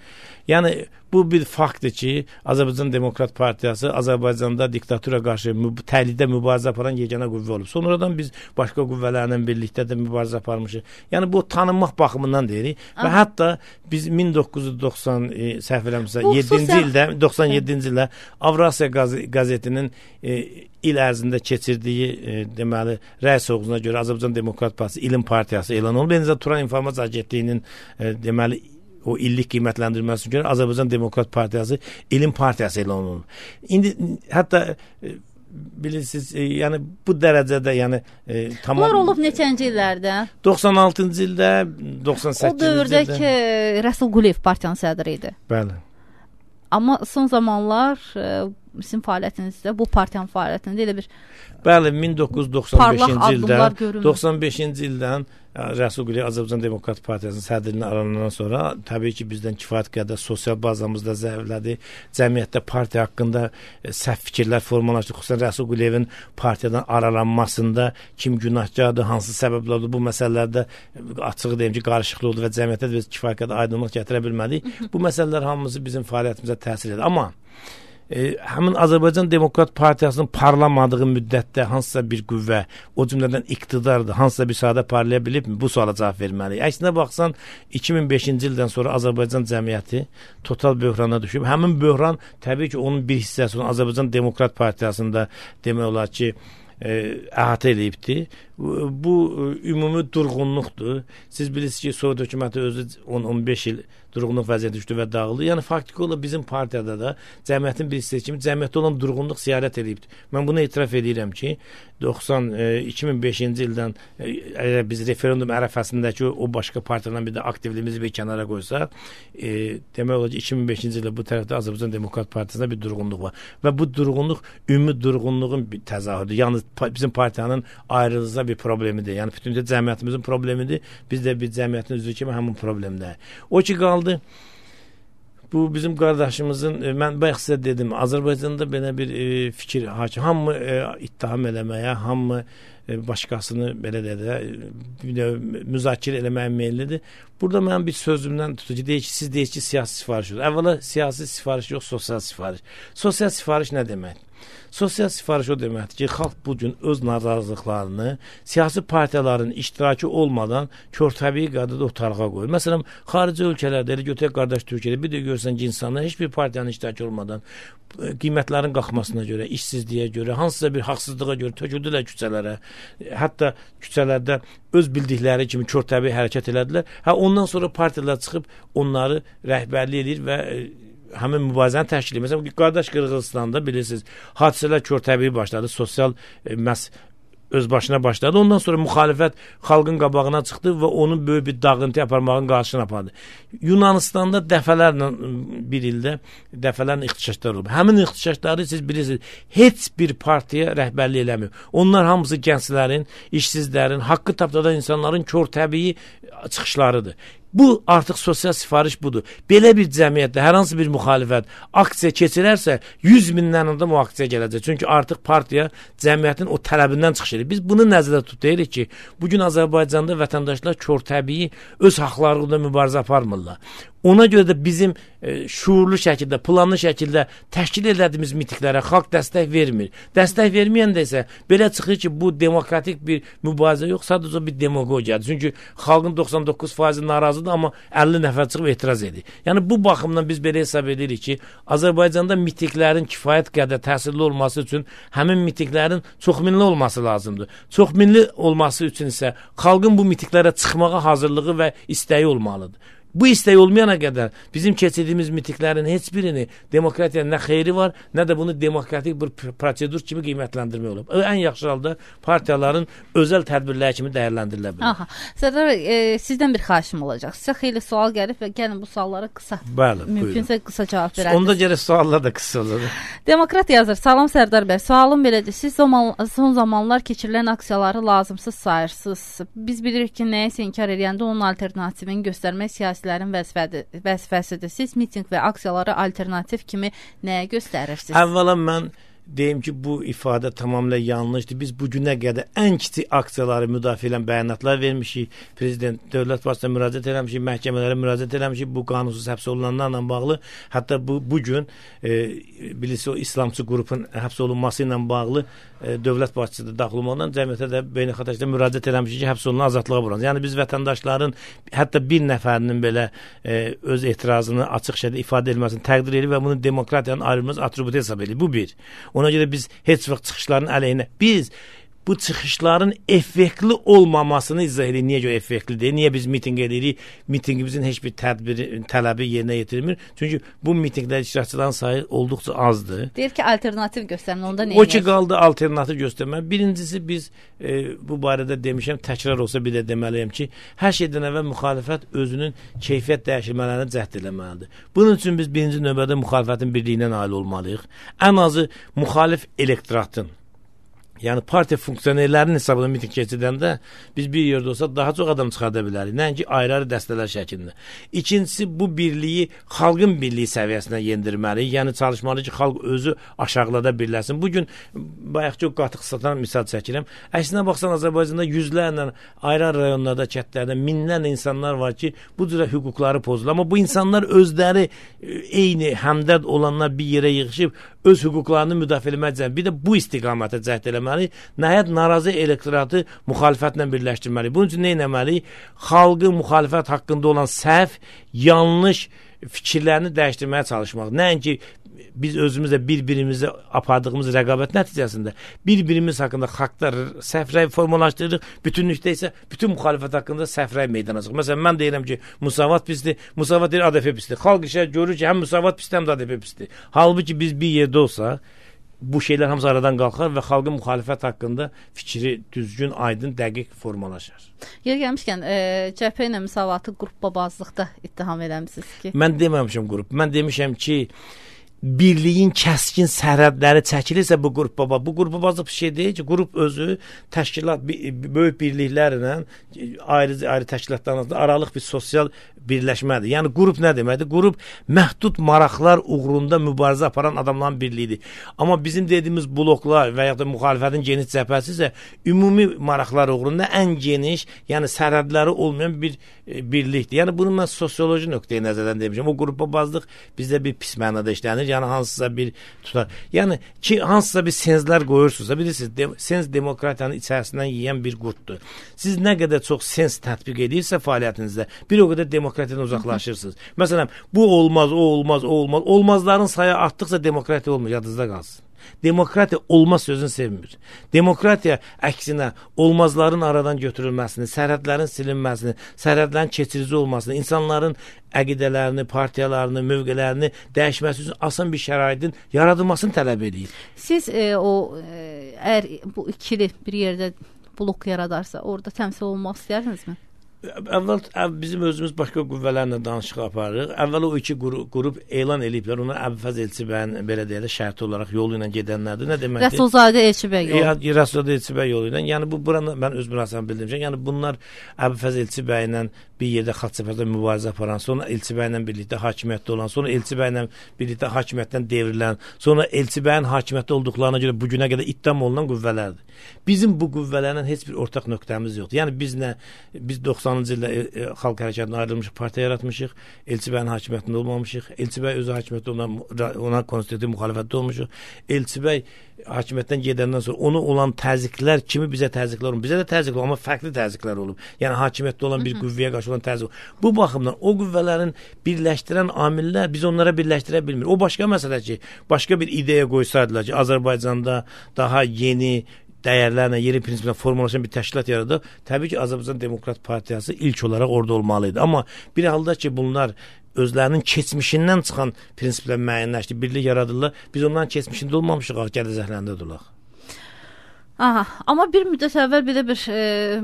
Yəni bu bir faktdır ki, Azərbaycan Demokrat Partiyası Azərbaycanda diktatura qarşı təhlükdə mübarizə aparan yeganə qüvvə olub. Sonradan biz başqa qüvvələrlə birlikdə də mübarizə aparmışıq. Yəni bu tanınmaq baxımından deyirik və hətta biz 1990 səhv eləmirəmsə 97-ci ildə Avrasiya qəzetinin il ərzində keçirdiyi deməli rəy soğuzuna görə Azərbaycan Demokrat Partisi İlim Partiyası elan olunub. Eyni zamanda Turan İnformasiya Agentliyinin deməli o illik qiymətləndirməsi görə Azərbaycan Demokrat Partiyası İlim Partiyası elan olunub. İndi hətta bilirsiniz, yəni bu dərəcədə, yəni tamam. Bunlar olub neçənci illərdə? 96-cı ildə, 98-ci ildə. O dövrdə ki, Rəsul Quliyev partiyanın sədri idi. Bəli. Amma son zamanlar sizin fəaliyyətinizdə, bu partiyanın fəaliyyətində elə bir bəli, 1995-ci ildən Rəsul Quliyev Azərbaycan Demokrat Partiyasının sədrliğinə aranandan sonra təbii ki, bizdən kifayət qədər sosial bazamızda zəiflədi. Cəmiyyətdə partiya haqqında səhv fikirlər formalaşdı. Xüsusən Rəsul Quliyevin partiyadan aralanmasında kim günahkardır, hansı səbəblərdir, bu məsələlərdə açıq deyim ki, qarışıqlıq oldu və cəmiyyətdə biz kifayət qədər aydınlıq gətirə bilmədik. Bu məsələlər hamısı bizim fəaliyyətimizə təsir edir. Amma həmin Azərbaycan Demokrat Partiyasının parlamadığı müddətdə hansısa bir qüvvə, o cümlədən iqtidardır, hansısa bir sahədə parlaya bilibmi? Bu suala cavab verməliyik. Əksinə baxsan, 2005-ci ildən sonra Azərbaycan cəmiyyəti total böhrana düşüb. Həmin böhran təbii ki, onun bir hissəsi olan Azərbaycan Demokrat Partiyasında demək olar ki, əhatə edibdir. Bu ümumi durğunluqdur. Siz bilirsiniz ki, Sovet hökuməti özü 10-15 il durğunluq vəziyyəti düşdü və dağıldı. Yəni faktiki olaraq bizim partiyada da cəmiyyətin bir hissəsi kimi cəmiyyətdə olan durğunluq ziyarət edibdir. Mən bunu etiraf edirəm ki, 2005-ci ildən biz referendum ərəfəsindəki o başqa partiyadan bir də aktivliyimizi bir kənara qoysaq, demək olar ki, 2005-ci ildə bu tərəfdə Azərbaycan Demokrat Partiyasında bir durğunluq var. Və bu durğunluq ümumi durğunluğun bir təzahürüdür. Yəni bizim partiyanın ayrılıqda bir problemidir. Yəni bütün cəmiyyətimizin problemidir. Biz də bir cəmiyyətin üzvü kimi həmin problemdə. O ki qaldı. Bu bizim qardaşımızın, mən bayaq sizə dedim, Azərbaycanda belə bir fikir hakim. Hamı ittiham eləməyə, hamı başqasını belə müzakirə eləməyə meyillidir. Burada mənim bir sözümdən tutucu deyir ki, siz deyir ki, siyasi sifariş yox. Əvvəla siyasi sifariş yox, sosial sifariş. Sosial sifariş nə deməkdir? Sosial sifariş o deməkdir ki, xalq bugün öz narazılıqlarını siyasi partiyaların iştirakı olmadan körtəbii qaydada ortalığa qoyur. Məsələn, xarici ölkələrdə, elə götürək qardaş Türkiyədə bir də görsən ki, insanlar heç bir partiyanın iştirakı olmadan qiymətlərin qalxmasına görə, işsizliyə görə, hansısa bir haqsızlığa görə töküldülər küçələrə. Hətta küçələrdə öz bildikləri kimi körtəbii hərəkət elədilər. Ondan sonra partiyalar çıxıb onları rəhbərlik edir və həmin mübarizəni təşkil edir. Məsələn, qardaş Qırğızstanda bilirsiniz, hadisələr körtəbii başladı, sosial öz başına başladı. Ondan sonra müxalifət xalqın qabağına çıxdı və onun böyük bir dağıntı aparmağın qarşısına apardı. Yunanistanda dəfələrlə bir ildə dəfələrlə ixtişaşlar olub. Həmin ixtişaşları siz bilirsiniz, heç bir partiya rəhbərlik eləmir. Onlar hamısı gənclərin, işsizlərin, haqqı tapdadan insanların körtəbii çıxışlarıdır. Bu artıq sosial sifariş budur. Belə bir cəmiyyətdə hər hansı bir müxalifət aksiya keçirərsə 100 mindən adam o aksiya gələcək. Çünki artıq partiya cəmiyyətin o tələbindən çıxış edir. Biz bunu nəzərdə tuturuq ki, bugün Azərbaycanda vətəndaşlar körtəbii öz haqlarında mübarizə aparmırlar. Ona görə də bizim şuurlu şəkildə, planlı şəkildə təşkil edədiyimiz mitinglərə xalq dəstək vermir. Dəstək verməyəndə isə belə çıxır ki, bu demokratik bir mübarizə yox, sadəcə bir demagogiyadır. Çünki xalqın 99% narazıdır, amma 50 nəfər çıxıb etiraz edir. Yəni bu baxımdan biz belə hesab edirik ki, Azərbaycanda mitinglərin kifayət qədər təsirli olması üçün həmin mitinglərin çoxminli olması lazımdır. Çoxminli olması üçün isə xalqın bu mitinglərə çıxmağa hazırlığı və istəyi olmalıdır. Bu istək olmayana qədər bizim keçirdiyimiz mitinglərin heç birini demokratiya nə xeyri var, nə də bunu demokratik bir prosedur kimi qiymətləndirmək olub. Ən yaxşı halda partiyaların özəl tədbirləri kimi dəyərləndirilə bilər. Aha. Sərdar, sizdən bir xahişim olacaq. Sizə xeyli sual gəlib və gəlin bu suallara qısa, mümkünsə qısa cavab verərsiniz. Onda gərək suallar da qısa olur. Demokrat yazır. Salam Sərdar bəy. Sualım belədir. Siz son zamanlar keçirilən aksiyaları lazımsız sayırsınız. Biz bilirik ki, nəyisə inkar edəndə onun alternativini göstərmək siyasilərin vəzifəsidir. Siz miting və aksiyaları alternativ kimi nəyə göstərirsiniz? Əvvəla mən deyim ki, bu ifadə tamamilə yanlışdır. Biz bu günə qədər ən kiçik aksiyaları müdafiə edən bəyanatlar vermişik. Prezident dövlət başçısına müraciət eləmişik, məhkəmələrə müraciət eləmişik bu qanunsuz həbs olunanlarla bağlı. Hətta bu gün bilirsiniz, o İslamçı qrupun həbs olunması ilə bağlı dövlət başçısı da daxil olmaqla cəmiyyətə də beynəlxalq heyətdə müraciət eləmişik ki, həbs olunan azadlığa buransın. Yəni biz vətəndaşların hətta bir nəfərinin belə öz etirazını açıq şəkildə ifadə edilməsini təqdir edir və bunu demokratiyanın ayrılmaz atributu hesab edir. Bu bir. Ona görə biz heç vaxt çıxışların əleyhinə, biz bu çıxışların effektli olmamasını izah edirik. Niyə görə effektlidir? Niyə biz mitinq edirik? Mitinqimizin heç bir tələbi yerinə yetirilmir. Çünki bu mitinqdə iştirakçıların sayı olduqca azdır. Deyir ki, alternativ göstərin, onda nə o ki, qaldı alternativ göstərmək. Birincisi biz bu barədə demişəm, təkrar olsa bir də deməliyəm ki, hər şeydən əvvəl müxalifət özünün keyfiyyət dəyişilmələrini cəhd eləməlidir. Bunun üçün biz birinci növbədə müxalifətin birliyinə nail olmalıyıq. Ən azı müxalif elektoratın, yəni partiya funksionerlərinin hesabına miting keçirdəndə biz bir yerdə olsa daha çox adam çıxarda bilərik. Nəinki ayrı-ayrı dəstələr şəklində. İkincisi, bu birliyi xalqın birliyi səviyyəsinə yendirməliyik. Yəni çalışmalıyıq ki, xalq özü aşağılada birləsin. Bugün bayaqki o qatıq satan misal çəkirəm. Əksinə baxsan, Azərbaycanda yüzlərlə ayrı-ayrı rayonlarda, kəndlərdə minlərlə insanlar var ki, bu cürə hüquqları pozulur. Amma bu insanlar özləri eyni həmdərd olanlar bir yerə yığışıb öz hüquqlarını müdafiə etməklə bir də bu istiqamətə cəhd eləməli. Nəhayət narazı elektoratı müxalifətlə birləşdirməli. Bunun üçün nə etməli? Xalqın müxalifət haqqında olan səhv, yanlış fikirlərini dəyişdirməyə çalışmaq. Nəinki biz özümüzlə bir-birimizə apardığımız rəqabət nəticəsində bir-birimiz haqqında xalqlar səhv rəy formalaşdırırıq, bütünlükdə isə bütün müxalifət haqqında səhv rəy meydana çıxır. Məsələn, mən deyirəm ki, müsavat pisdir, müsavat deyir ADF pisdir. Xalq işə görür ki, həm müsavat pisdir, həm də ADF pisdir. Halbuki biz bir yerdə olsa, bu şeylər hamısı aradan qalxar və xalqın müxalifət haqqında fikri düzgün, aydın, dəqiq formalaşar. Yer gəlmişkən, CHP ilə müsavatı qrupbabazlıqda ittiham eləmişsiniz ki? Mən deməmişəm qrup. Mən demişəm ki, birliyin kəskin sərhədləri çəkilirsə bu qrupbabazlıq bir şey deyil ki, qrup özü təşkilat, böyük birliklərlə ayrı təşkilatlarla aralıq bir sosial birləşmədir. Yəni qrup nə deməkdir? Qrup məhdud maraqlar uğrunda mübarizə aparan adamların birliyidir. Amma bizim dediyimiz bloklar və ya da müxalifətin geniş cəbhəsi isə ümumi maraqlar uğrunda ən geniş, yəni sərhədləri olmayan bir birlikdir. Yəni bunu mən sosioloji nöqteyi nəzərdən demişəm. O qrupbabazlıq bizdə bir pis mənada işlənir. Yəni hansısa bir tutar. Yəni ki, hansısa bir senzlər qoyursunuzsa, bilirsiniz, sens demokratiyanın içərisindən yeyən bir qurtdur. Siz nə qədər çox sens tətbiq edirsə fəaliyyətinizdə, bir o qədər demokratiyadan uzaqlaşırsınız. Məsələn, bu olmaz, o olmaz, o olmaz. Olmazların sayı artdıqca demokratiya olmur, yadınızda qalsın. Demokratiya olmaz sözünü sevmir. Demokratiya əksinə olmazların aradan götürülməsini, sərhədlərin silinməsini, sərhədlərin keçirici olmasını, insanların əqidələrini, partiyalarını, mövqələrini dəyişməsi üçün asan bir şəraitin yaradılmasını tələb edir. Siz əgər bu ikili bir yerdə blok yaradarsa, orada təmsil olmaq istəyərdinizmi? Əvvəl bizim özümüz başqa qüvvələrlə danışıq aparırıq. Əvvəl o iki qrup elan ediblər. Onlar Əbülfəz Elçibəyin belə deyək, şərti olaraq yolu ilə gedənlərdir. Nə deməkdir? Rəsulzadə Elçibəy yolu. Rəsulzadə Elçibəy yolu ilə. Yəni bu buranı mən öz münasibətimi bildirmişəm. Yəni bunlar Əbülfəz Elçibəylə bir yerdə xaç-səpərdə mübarizə aparan, sonra Elçibəylə birlikdə hakimiyyətdə olan, sonra Elçibəylə birlikdə hakimiyyətdən devrilən, sonra Elçibəyin hakimiyyətdə olduqlarına görə bu günə qədər ittiham olunan qüvvələrdir. Bizim bu qüvvələrlə heç bir ortaq nöqtəmiz yoxdur. Yəni biz 90-cı ildə Xalq Hərəkatından ayrılmış partiya yaratmışıq. Elçibəyin hakimiyyətində olmamışıq. Elçibəy özü hakimiyyətdə ona konstitutiv müxalifətdə olmuşuq. Elçibəy hakimiyyətdən gedəndən sonra onu olan təzyiqlər kimi bizə təzyiqlər olub. Bizə də təzyiqlər olub, amma fərqli təzyiqlər olub. Yəni hakimiyyətdə olan bir qüvvəyə qarşı olan təzyiq. Bu baxımdan o qüvvələrin birləşdirən amillər biz onlara birləşdirə bilmirik. O başqa məsələ ki, başqa bir ideya qoysaydılar ki, Azərbaycanda daha yeni dəyərlərlə, yeni prinsiplə formalaşan bir təşkilat yaradır. Təbii ki, Azərbaycan Demokrat Partiyası ilk olaraq orada olmalıydı. Amma bir halda ki, bunlar özlərinin keçmişindən çıxan prinsiplə müəyyənləşdi, birlik yaradırlar. Biz onların keçmişində olmamışıq, gələcəklərində olaq. Aha, amma bir müddət əvvəl belə bir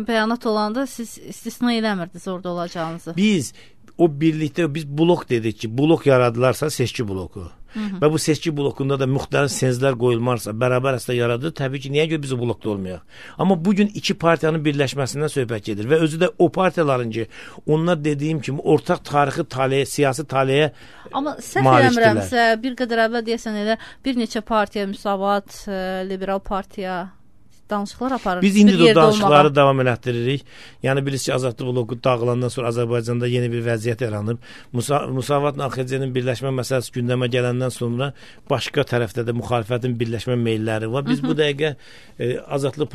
bəyanat olanda siz istisna eləmirdiniz orada olacağınızı. Biz o birlikdə, biz blok dedik ki, blok yaradılarsa seçki bloku. və bu seçki blokunda da müxtəlif senzlər qoyulmarsa, bərabər əsasda yaradır. Təbii ki, niyə görə biz o blokda olmayaq? Amma bugün iki partiyanın birləşməsindən söhbət gedir və özü də o partiyaların ki, onlar dediyim kimi ortaq tarixi taleyə, siyasi taleyə amma səhv eləmirəmsə, bir qədər əvvəl deyəsən elə bir neçə partiya, Müsavat, Liberal partiya danışıqlar aparır. Biz indi də danışıqları davam elətdiririk. Yəni bilirsiniz ki, Azadlıq bloku dağılandan sonra Azərbaycanda yeni bir vəziyyət yaranıb. Musavatla AXC-nin birləşmə məsələsi gündəmə gələndən sonra başqa tərəfdə də müxalifətin birləşmə meylləri var. Biz bu dəqiqə Azadlıq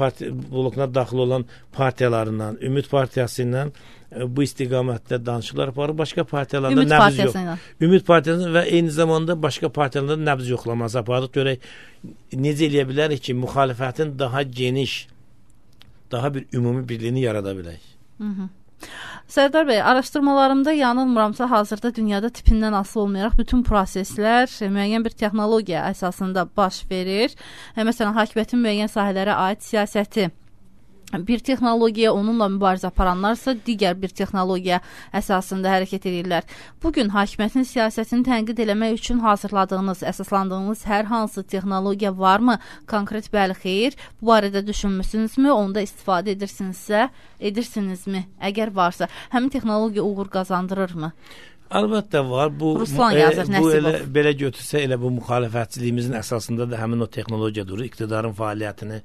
blokuna daxil olan partiyalarından, Ümid Partiyası ilə bu istiqamətdə danışıqlar aparır. Başqa partiyalarda nəbz yox. Ümid Partiyasının və eyni zamanda başqa partiyalarda nəbz yoxlaması aparırıq. Görək necə eləyə bilərik ki, müxalifətin daha geniş, daha bir ümumi birliyini yarada bilək. Sərdar bəy, araşdırmalarımda yanılmıramsa hazırda dünyada tipindən asılı olmayaraq bütün proseslər müəyyən bir texnologiya əsasında baş verir. Məsələn, hakimiyyətin müəyyən sahələrə aid siyasəti bir texnologiya, onunla mübarizə aparanlarsa digər bir texnologiya əsasında hərəkət edirlər. Bugün hakimiyyətin siyasətini tənqid eləmək üçün hazırladığınız, əsaslandığınız hər hansı texnologiya varmı? Konkret bəli, xeyr. Bu barədə düşünmüsünüzmü? Onda istifadə edirsinizmi? Əgər varsa, həmin texnologiya uğur qazandırırmı? Əlbəttə var. Bu elə belə götürsə elə bu müxalifətçiliyimizin əsasında da həmin o texnologiya durur. İqtidarın fəaliyyətini,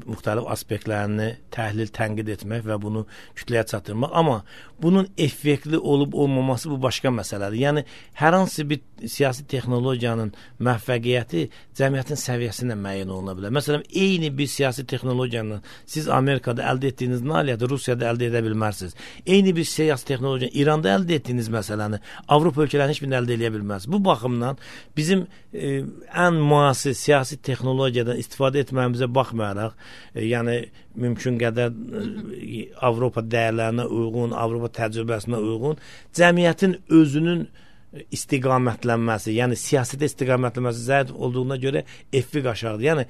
müxtəlif aspektlərini təhlil, tənqid etmək və bunu kütləyə çatdırmaq. Amma bunun effektli olub olmaması bu başqa məsələdir. Yəni hər hansı bir siyasi texnologiyanın müvəffəqiyyəti cəmiyyətin səviyyəsinə müəyyən oluna bilər. Məsələn, eyni bir siyasi texnologiyanı siz Amerikada əldə etdiyiniz nailiyyəti Rusiyada əldə edə bilmərsiniz. Eyni bir siyasi texnologiyanı İranda əldə etdiyiniz məsələni Avropa ölkələrinin heç birini əldə edə bilməz. Bu baxımdan bizim ən müasir siyasi texnologiyadan istifadə etməyimizə baxmayaraq, yəni mümkün qədər Avropa dəyərlərinə uyğun, Avropa təcrübəsinə uyğun cəmiyyətin özünün istiqamətlənməsi, yəni siyasətdə istiqamətlənməsi zəif olduğuna görə effekt aşağıdır. Yəni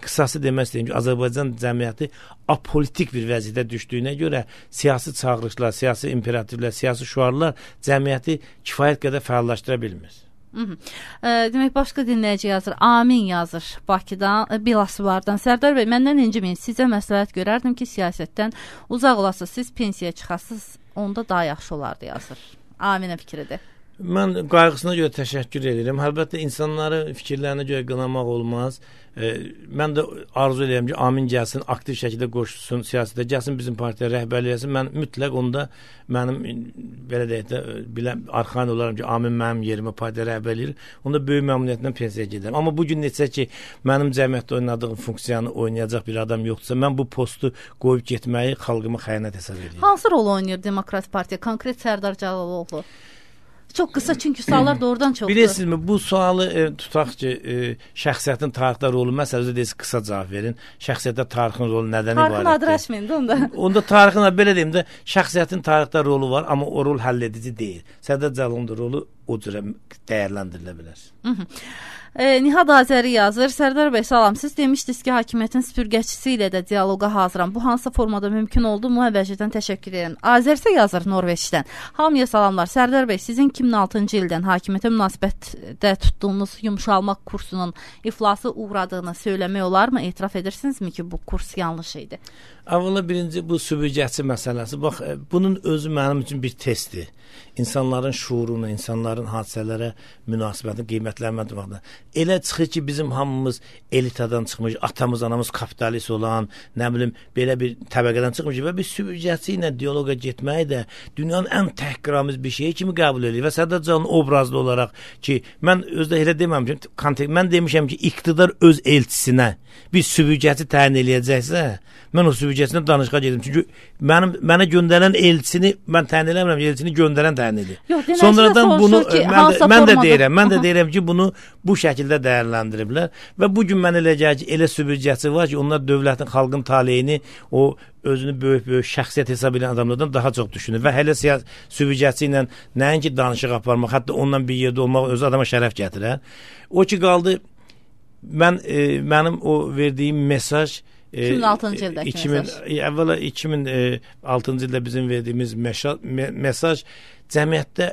qısası demək istəyim ki, Azərbaycan cəmiyyəti apolitik bir vəziyyətə düşdüyünə görə siyasi çağırışlar, siyasi imperativlər, siyasi şüarlar cəmiyyəti kifayət qədər fəallaşdıra bilmir. Demək, başqa dinləyici yazır, Amin yazır Bakıdan, Bilasvardan. Sərdar bəy, məndən inciməyin, sizə məsləhət görərdim ki, siyasətdən uzaq olasınız, siz pensiyaya çıxasınız, onda daha yaxşı olardı yazır. Aminə fikridir. Mən qayğısına görə təşəkkür edirəm. Əlbəttə, insanları fikirlərinə görə qınamaq olmaz. Mən də arzu edirəm ki, Amin gəlsin, aktiv şəkildə qoşulsun siyasətə, gəlsin bizim partiya rəhbərlik etsin. Mən mütləq onda mənim belə deyək də arxain olaram ki, Amin mənim yerimə partiya rəhbərlik edir. Onda böyük məmnuniyyətlə pensiyaya gedərəm. Amma bugün neçə ki, mənim cəmiyyətdə oynadığım funksiyanı oynayacaq bir adam yoxdursa, mən bu postu qoyub getməyi xalqıma xəyanət hesab edirəm. Hansı rol oynayır Demokrat Partiya? Konkret Sərdar Cəlaloğlu. Çox qısa, çünki suallar doğrudan çoxdur. Bilirsinizmi, bu sualı tutaq ki, şəxsiyyətin tarixdə rolu məsələdə deyilsə qısa cavab verin. Şəxsiyyətdə tarixin rolu nədən ibarətdir? Tarixin adreşməyin də onda. Onda tarixin, belə deyim də, şəxsiyyətin tarixdə rolu var, amma o rol həll edici deyil. Sərdar Cəlaloğlu'nun rolu o cürə dəyərləndirilə bilər. Nihad Azəri yazır. Sərdar bəy, salam. Siz demişdiniz ki, hakimiyyətin süpürgəçisi ilə də dialoqa hazıram. Bu hansı formada mümkün oldu mu? Əvvəlcədən təşəkkür edirəm. Azərsə yazır Norveçdən. Hamıya salamlar. Sərdar bəy, sizin 2006-cı ildən hakimiyyətə münasibətdə tutduğunuz yumşalmaq kursunun iflası uğradığını söyləmək olarmı? Etiraf edirsinizmi ki, bu kurs yanlış idi? Əvvəla birinci bu süpürgəçi məsələsi. Bax, bunun özü mənim üçün bir testdir. İnsanların şuurunu, insanların hadisələrə münasibətini qiymətləndirməkdə. Elə çıxır ki, bizim hamımız elitadan çıxmış, atamız, anamız kapitalist olan, nə bilim, belə bir təbəqədən çıxmış və bir süpürgəçi ilə diyaloqa getməyi də dünyanın ən təhqiramiz bir şeyi kimi qəbul edir. Və Sərdar Cəlaloğlu obrazlı olaraq ki, mən özdə elə deməmişəm, mən demişəm ki, iqtidar öz elçisinə bir süpürgəçi təyin eləyəcəksə, mən o süpürgəçinə danışığa gedim. Çünki mənə göndərən elçini mən təyin eləmirəm, elçini göndərən təyin edir. Sonradan bunu mən də deyirəm ki, bunu bu şəkildə dəyərləndiriblər və bu gün mən elə gəlir ki, elə süpürgəçi var ki, onlar dövlətin, xalqın taleyini, o özünü böyük şəxsiyyət hesab edən adamlardan daha çox düşünür və hələ süpürgəçi ilə nəinki danışıq aparmaq, hətta ondan bir yerdə olmaq özü adama şərəf gətirər. O ki qaldı, mənim o verdiyim mesaj 2006-cı ildəki mesaj. Əvvəla 2006-cı ildə bizim verdiyimiz mesaj cəmiyyətdə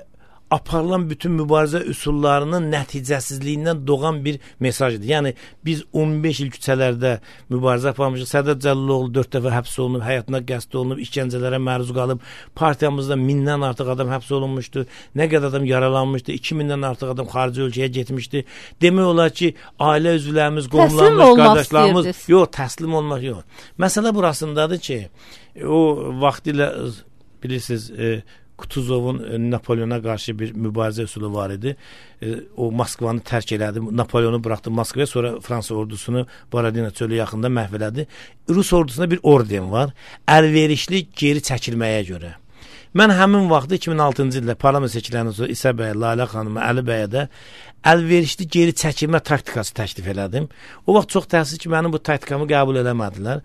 aparılan bütün mübarizə üsullarının nəticəsizliyindən doğan bir mesajdır. Yəni biz 15 il küçələrdə mübarizə aparmışıq. Sədər Cəlloğlu 4 dəfə həbs olunub, həyatına qəsd olunub, işgəncələrə məruz qalıb. Partiyamızda 1000-dən artıq adam həbs olunmuşdu. Nə qədər adam yaralanmışdı. 2000-dən artıq adam xarici ölkəyə getmişdi. Demək olar ki, ailə üzvlərimiz, qohumlarımız, qardaşlarımız yox, təslim olmaq yox. Məsələ burasındadır ki, o vaxtilə bilirsiniz, Kutuzovun Napoleona qarşı bir mübarizə üsulu var idi. O Moskvanı tərk elədi, Napoleonu buraxdı Moskvaya, sonra Fransa ordusunu Borodina çölü yaxında məhv elədi. Rus ordusunda bir orden var, əlverişli geri çəkilməyə görə. Mən həmin vaxtda 2006-cı ildə parlament seçkilərindən sonra İsa bəyə, Lalə xanıma, Əli bəyə də əlverişli geri çəkilmə taktikası təklif elədim. O vaxt çox təəssüf ki, mənim bu taktikamı qəbul eləmədilər.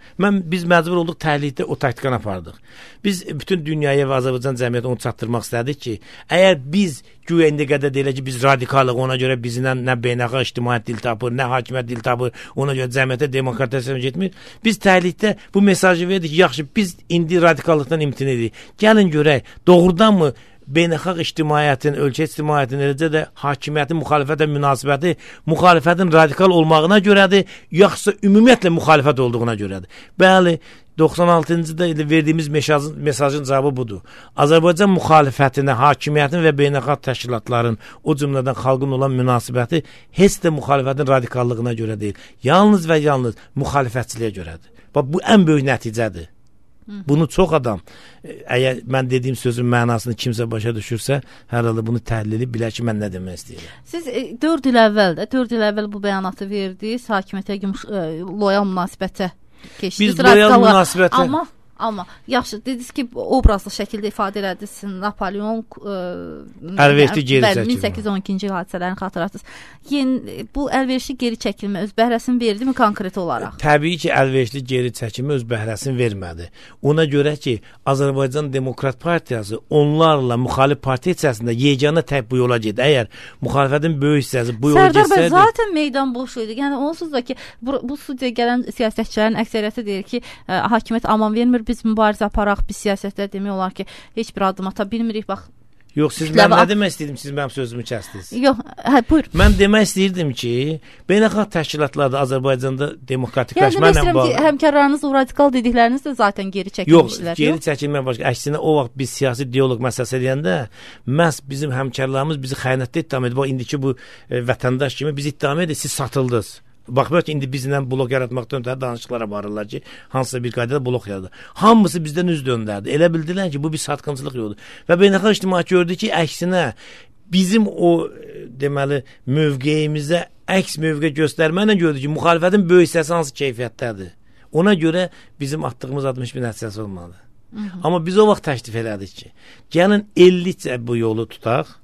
Biz məcbur olduq təhlildə o taktikanı apardıq. Biz bütün dünyaya və Azərbaycan cəmiyyətinə onu çatdırmaq istədik ki, əgər biz güya indi qədər deyilə ki, biz radikalıq, ona görə bizdən nə beynəlxalq ictimaiyyət dil tapır, nə hakimiyyət dil tapır, ona görə cəmiyyətə demokratiyaya getmir. Biz təhlildə bu mesajı verdik ki, yaxşı, biz indi radikallıqdan imtina edirik. Gəlin görək, doğrudanmı beynəlxalq ictimaiyyətin, ölkə ictimaiyyətinin, eləcə də hakimiyyətin müxalifətə münasibəti müxalifətin radikal olmağına görədir, yoxsa ümumiyyətlə müxalifət olduğuna görədir. Bəli, 96-cı ildə verdiyimiz mesajın cavabı budur. Azərbaycan müxalifətinə, hakimiyyətin və beynəlxalq təşkilatların, o cümlədən xalqın olan münasibəti heç də müxalifətin radikallığına görə deyil. Yalnız və yalnız müxalifətçiliyə görədir. Bax, bu ən böyük nəticədir. Bunu çox adam, əgər mən dediyim sözün mənasını kimsə başa düşürsə, hər halda bunu təhlil edib bilər ki, mən nə demək istəyirəm. Siz 4 il əvvəl bu bəyanatı verdiniz, hakimiyyətə loyal münasibətə keçdiniz. Biz loyal münasibətə... Amma yaxşı, dediniz ki, obrazlı şəkildə ifadə elədiniz, Napoleon əlverişli geri çəkilmə. 1812-ci il hadisələrini xatırlatdınız. Bu əlverişli geri çəkilmə öz bəhrəsini verdi mi konkret olaraq? Təbii ki, əlverişli geri çəkilmə öz bəhrəsini vermədi. Ona görə ki, Azərbaycan Demokrat Partiyası onlarla müxalif partiya içərisində yeganə tək bu yola gedir. Əgər müxalifətin böyük hissəsi bu yola getsəydi... Sərdar bəy, zaten meydan boş idi. Yəni, onsuz da ki, bu studiyaya gələn siyasətçilərin əksəriyyəti deyir ki, hakimiyyət aman vermir, biz mübarizə aparaq, biz siyasətlər demək olar ki, heç bir adım ata bilmirik, bax. Yox, mən nə demək istəyirdim, siz mənim sözümü kəstiniz. Yox, buyur. Mən demək istəyirdim ki, beynəlxalq təşkilatlarda Azərbaycanda demokratikləşməklə bağlı. Yəni, məsələn ki, həmkarlarınız o radikal dedikləriniz də zaten geri çəkilmişlər. Yox, geri çəkilmək başqa. Əksinə, o vaxt biz siyasi diyaloq məsələsi deyəndə, məhz bizim həmkarlarımız bizi xəyanətdə ittiham edir. Bax, indiki bu vətəndaş kimi biz ittiham edir, siz satıldınız. Baxmayaq ki, indi bizlə blok yaratmaqdan ötəri danışıqlara varırlar ki, hansısa bir qaydada blok yaradır. Hamısı bizdən üz döndərdi. Elə bildilər ki, bu bir satqınçılıq yoludur. Və beynəlxalq ictimaiyyət gördü ki, əksinə bizim o deməli mövqeyimizə əks mövqe göstərməklə gördü ki, müxalifətin böyük hissəsi hansı keyfiyyətdədir. Ona görə bizim attığımız adım heç bir nəticəsi olmadı. Amma biz o vaxt təklif elədik ki, gəlin 50-cə bu yolu tutaq.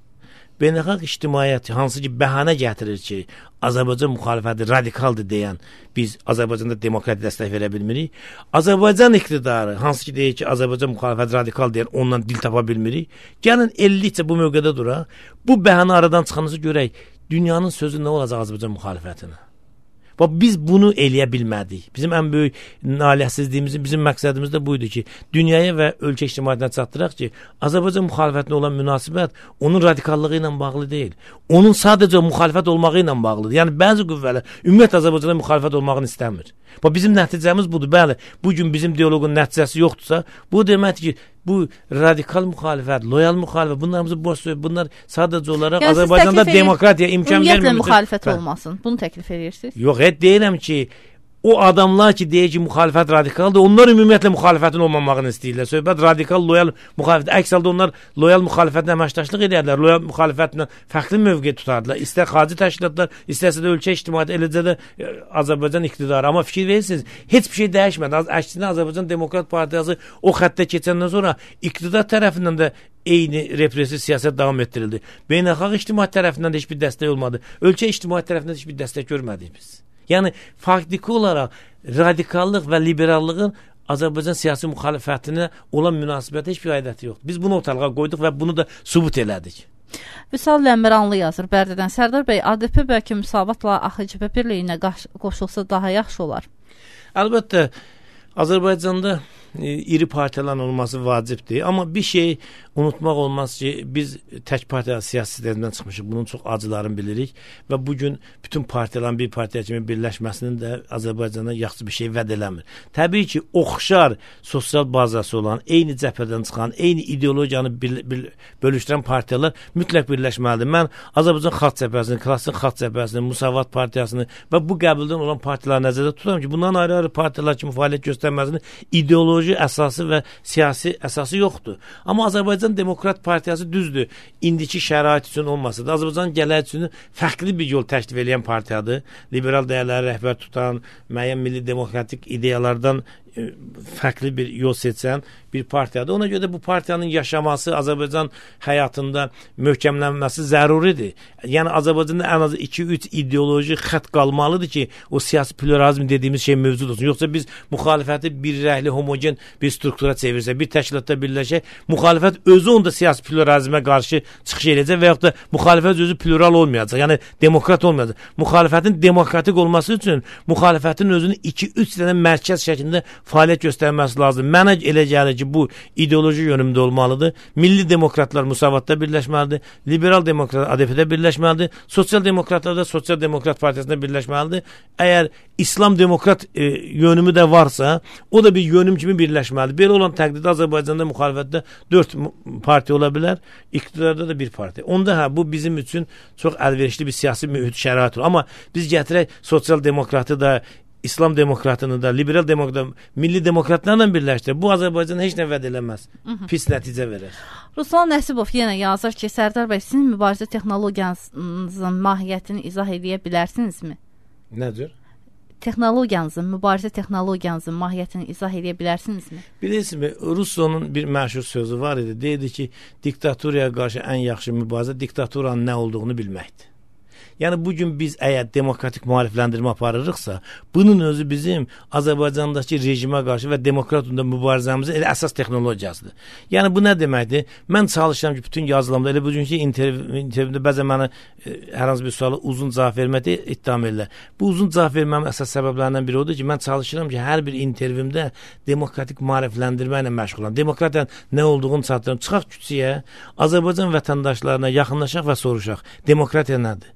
Beynəlxalq ictimaiyyət hansı ki bəhanə gətirir ki, Azərbaycan müxalifəti radikaldır deyən biz Azərbaycanda demokratiya dəstək verə bilmirik. Azərbaycan iqtidarı hansı ki deyir ki, Azərbaycan müxalifəti radikal deyən ondan dil tapa bilmirik. Gəlin 50-cə bu mövqedə duraq. Bu bəhanə aradan çıxanızı görək. Dünyanın sözü nə olacaq Azərbaycan müxalifətinə? Bax, biz bunu eləyə bilmədik. Bizim ən böyük nailiyyətsizliyimizin, bizim məqsədimiz də buydu ki, dünyaya və ölkə ictimaiyyətinə çatdıraq ki, Azərbaycan müxalifətinə olan münasibət onun radikallığı ilə bağlı deyil. Onun sadəcə müxalifət olmağı ilə bağlıdır. Yəni, bəzi qüvvələr ümumiyyətlə Azərbaycana müxalifət olmağını istəmir. Bax, bizim nəticəmiz budur. Bəli, bugün bizim diyaloqun nəticəsi yoxdursa, bu deməkdir ki, bu radikal müxalifət, loyal müxalifət, bunlar sadəcə olaraq yəni, Azərbaycanda demokratiya imkan vermir. Ümumiyyətlə müxalifət olmasın. Bunu təklif edirsiniz? Yox, deyirəm ki, o adamlar ki, deyir ki, müxalifət radikaldır, onlar ümumiyyətlə müxalifətin olmamağını istəyirlər. Söhbət radikal, loyal müxalifət. Əks halda onlar loyal müxalifətlə əməkdaşlıq edərlər, loyal müxalifətlə fərqli mövqe tutardılar. İstər xarici təşkilatlar, istərsə də ölkə ictimaiyyəti, eləcə də Azərbaycan iqtidarı. Amma fikir verirsiniz, heç bir şey dəyişmədi. Əksinə Azərbaycan Demokrat Partiyası o xəttə keçəndən sonra iqtidar tərəfindən də eyni repressiv siyasət davam etdirildi. Beynəlxalq ictimaiyyət tərəfindən də heç bir dəstək olmadı. Ölkə ictimaiyyət tərəfindən də heç bir dəstək görmədik biz. Yəni, faktiki olaraq radikallıq və liberallığın Azərbaycan siyasi müxalifətinə olan münasibəti heç bir aidiyyəti yoxdur. Biz bunu ortalığa qoyduq və bunu da sübut elədik. Vüsal Ləmiranlı yazır Bərdədən. Sərdar bəy, ADP bəlkə müsavatla AXCP birliyinə qoşulsa daha yaxşı olar. Əlbəttə, Azərbaycanda iri partiyaların olması vacibdir. Amma bir şey unutmaq olmaz ki, biz tək partiya siyasi sistemindən çıxmışıq. Bunun çox acılarını bilirik və bugün bütün partiyaların bir partiya kimi birləşməsinin də Azərbaycana yaxşı bir şey vəd eləmir. Təbii ki, oxşar sosial bazası olan, eyni cəbhədən çıxan, eyni ideologiyanı bölüşdürən partiyalar mütləq birləşməlidir. Mən Azərbaycan Xalq Cəbhəsini, Klassik Xalq Cəbhəsini, Müsavat Partiyasını və bu qəbildən olan partiyaları nəzərdə tuturam ki, bundan ayrı-ayrı partiyalar kimi fəaliyyət göstərməsinin ideoloji əsası və siyasi əsası yoxdur. Amma Azərbaycan Demokrat Partiyası düzdür, indiki şərait üçün olmasa da Azərbaycan gələcək üçün fərqli bir yol təklif edən partiyadır. Liberal dəyərləri rəhbər tutan, müəyyən milli demokratik ideyalardan fərqli bir yol seçən bir partiyadır. Ona görə də bu partiyanın yaşaması, Azərbaycan həyatında möhkəmlənməsi zəruridir. Yəni Azərbaycanda ən az 2-3 ideoloji xətt qalmalıdır ki, o siyasi pluralizm dediyimiz şey mövcud olsun. Yoxsa biz müxalifəti bir rəhli, homogen bir struktura çevirsək, bir təşkilatda birləşək, müxalifət özü onda siyasi pluralizmə qarşı çıxış edəcək və yaxud da müxalifət özü plural olmayacaq. Yəni demokrat olmayacaq. Müxalifətin demokratik olması üçün müxalifətin özünü 2-3 dənə mərkəz şəklində fəaliyyət göstərməsi lazım. Mənə elə gəlir ki, bu ideoloji yönümdə olmalıdır. Milli demokratlar Müsavatda birləşməlidir. Liberal demokratlar ADP-də birləşməlidir. Sosial demokratlar da Sosial Demokrat Partiyasında birləşməlidir. Əgər İslam demokrat yönümü də varsa, o da bir yönüm kimi birləşməlidir. Belə olan təqdirdə Azərbaycanda müxalifətdə 4 partiya ola bilər, iqtidarda da bir partiya. Onda bu bizim üçün çox əlverişli bir siyasi mühit şərait olur. Amma biz gətirək sosial demokratı da, İslam demokratını da, liberal demokratını, milli demokratlarla birləşdir. Bu Azərbaycan heç nə vəd eləməz. Pis nəticə verər. Ruslan Nəsibov yenə yazır ki, Sərdar bəy, sizin mübarizə texnologiyanızın mahiyyətini izah edə bilərsinizmi? Nədir? Mübarizə texnologiyanızın mahiyyətini izah edə bilərsinizmi? Bilirsiniz, Ruslanın bir məşhur sözü var idi. Deyirdi ki, diktaturaya qarşı ən yaxşı mübarizə diktaturanın nə olduğunu bilməkdir. Yəni bugün biz əgər demokratik müarifləndirmə aparırıqsa, bunun özü bizim Azərbaycandakı rejimə qarşı və demokratunda mübarizəmizin elə əsas texnologiyasıdır. Yəni bu nə deməkdir? Mən çalışıram ki, bütün yazılarımda, elə bugünkü intervyumda bəzən mənə hər hansı bir suala uzun cavab verməkdə ittiham edirlər. Bu uzun cavab verməmin əsas səbəblərindən biri odur ki, mən çalışıram ki, hər bir intervyumda demokratik müarifləndirmə ilə məşğul olam. Demokratiyanın nə olduğunu çatdırım. Çıxaq küçəyə, Azərbaycan vətəndaşlarına yaxınlaşaq və soruşaq. Demokratiya nədir?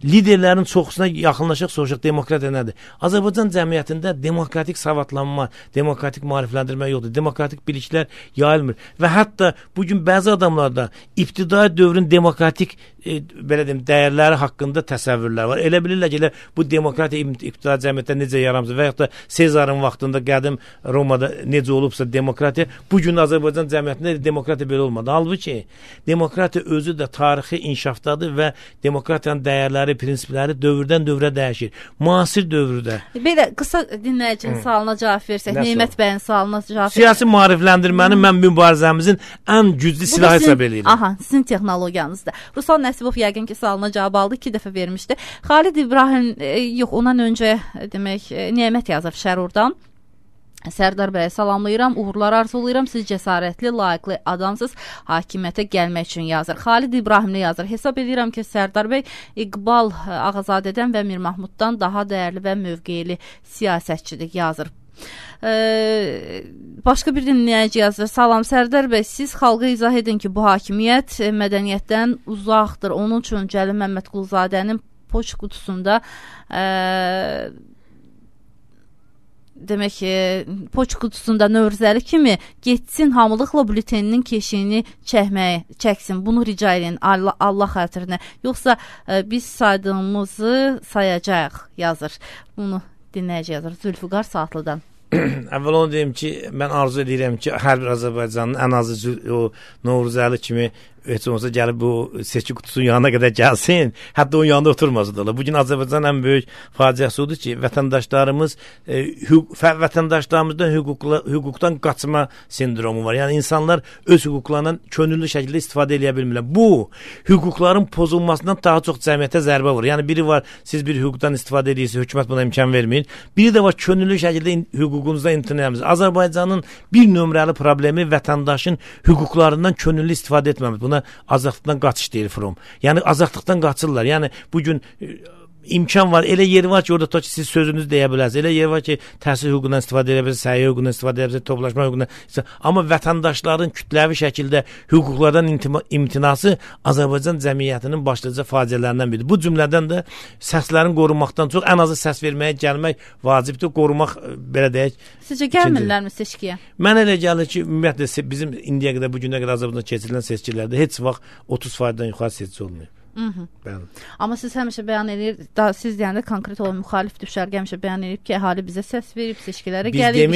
Liderlərin çoxusuna yaxınlaşıq, soruşaq, demokratiya nədir? Azərbaycan cəmiyyətində demokratik savadlanma, demokratik maarifləndirmə yoxdur. Demokratik biliklər yayılmır. Və hətta bugün bəzi adamlarda ibtidai dövrün demokratik belə deyim, dəyərləri haqqında təsəvvürlər var. Elə bilirlər ki, bu demokratiya ibtidai cəmiyyətdə necə yaramsın və yaxud da Sezarın vaxtında qədim Romada necə olubsa demokratiya, bugün Azərbaycan cəmiyyətində demokratiya belə olmadı. Halbuki demokratiya özü də tarixi inkişafdadır və demokratiyanın dəyərləri, prinsipləri dövrdən dövrə dəyişir. Müasir dövrdə. Belə qısa dinləyicinin sualına cavab versək, Neymət bəyin sualına cavab versək. Siyasi maarifləndirmənin mən mübarizəmizin ən güclü silahı hesab edirəm. Aha, sizin texnologiyanızdır. Ruslan Nəsibov yəqin ki, sualına cavab aldı, 2 dəfə vermişdi. Xalid İbrahim, yox, ondan öncə demək, Neymət yazır Şərurdan. Sərdar bəyə salamlayıram, uğurlar arzulayıram, siz cəsarətli, layiqli adamsız, hakimiyyətə gəlmək üçün yazır. Xalid İbrahimli yazır, hesab edirəm ki, Sərdar bəy İqbal Ağazadədən və Mir Mahmuddan daha dəyərli və mövqeyli siyasətçidir, yazır. Başqa bir dinləyici yazır, salam Sərdar bəy, siz xalqa izah edin ki, bu hakimiyyət mədəniyyətdən uzaqdır, onun üçün Cəlil Məmmədquluzadənin poçt qutusunda demək ki, poçt qutusunda Növruzəli kimi getsin, hamılıqla bülteninin keşiyini çəksin. Bunu rica edin Allah xatirinə. Yoxsa biz saydığımızı sayacağıq, yazır. Bunu dinləyici yazır Zülfüqar Saatlıdan. Əvvəl onu deyim ki, mən arzu edirəm ki, hər bir Azərbaycanın ən azı o Növruzəli kimi heç olmasa gəlib bu seçki qutusunun yanına qədər gəlsin, hətta onun yanında oturmasa da. Bugün Azərbaycanın ən böyük faciəsi odur ki, vətəndaşlarımızdan hüquqdan qaçma sindromu var. Yəni insanlar öz hüquqlarından könüllü şəkildə istifadə edə bilmirlər. Bu hüquqların pozulmasından daha çox cəmiyyətə zərbə vurur. Yəni biri var, siz bir hüquqdan istifadə edirsiniz, hökumət buna imkan vermir. Biri də var, könüllü şəkildə hüququnuzdan imtina edirsiniz. Azərbaycanın bir nömrəli problemi vətəndaşın hüquqlarından könüllü istifadə etməmir. Buna azadlıqdan qaçış deyir From. Yəni azadlıqdan qaçırlar. Yəni bugün imkan var. Elə yer var ki, orada ki siz sözünüzü deyə bilərsiniz. Elə yer var ki, təhsil hüququndan istifadə edə bilərsiniz, səhiyyə hüququndan istifadə edə bilərsiniz, toplaşma hüququndan. Amma vətəndaşların kütləvi şəkildə hüquqlardan imtinası Azərbaycan cəmiyyətinin başlıca faciələrindən biridir. Bu cümlədən də səslərin qorunmaqdan çox ən azı səs verməyə gəlmək vacibdir, qorumaq belə deyək. Sizcə gəlmirlərmi seçkiyə? Mən elə gəlir ki, ümumiyyətlə bizim indiyə qədər, bu günə qədər Azərbaycanda keçirilən seçkilərdə heç vaxt 30%-dən yuxarı seçki olmuyor. Amma siz həmişə bəyan edir, siz deyəndə konkret olan müxalif düşərgə həmişə bəyan edib ki, əhali bizə səs verib, seçkilərə gəlib,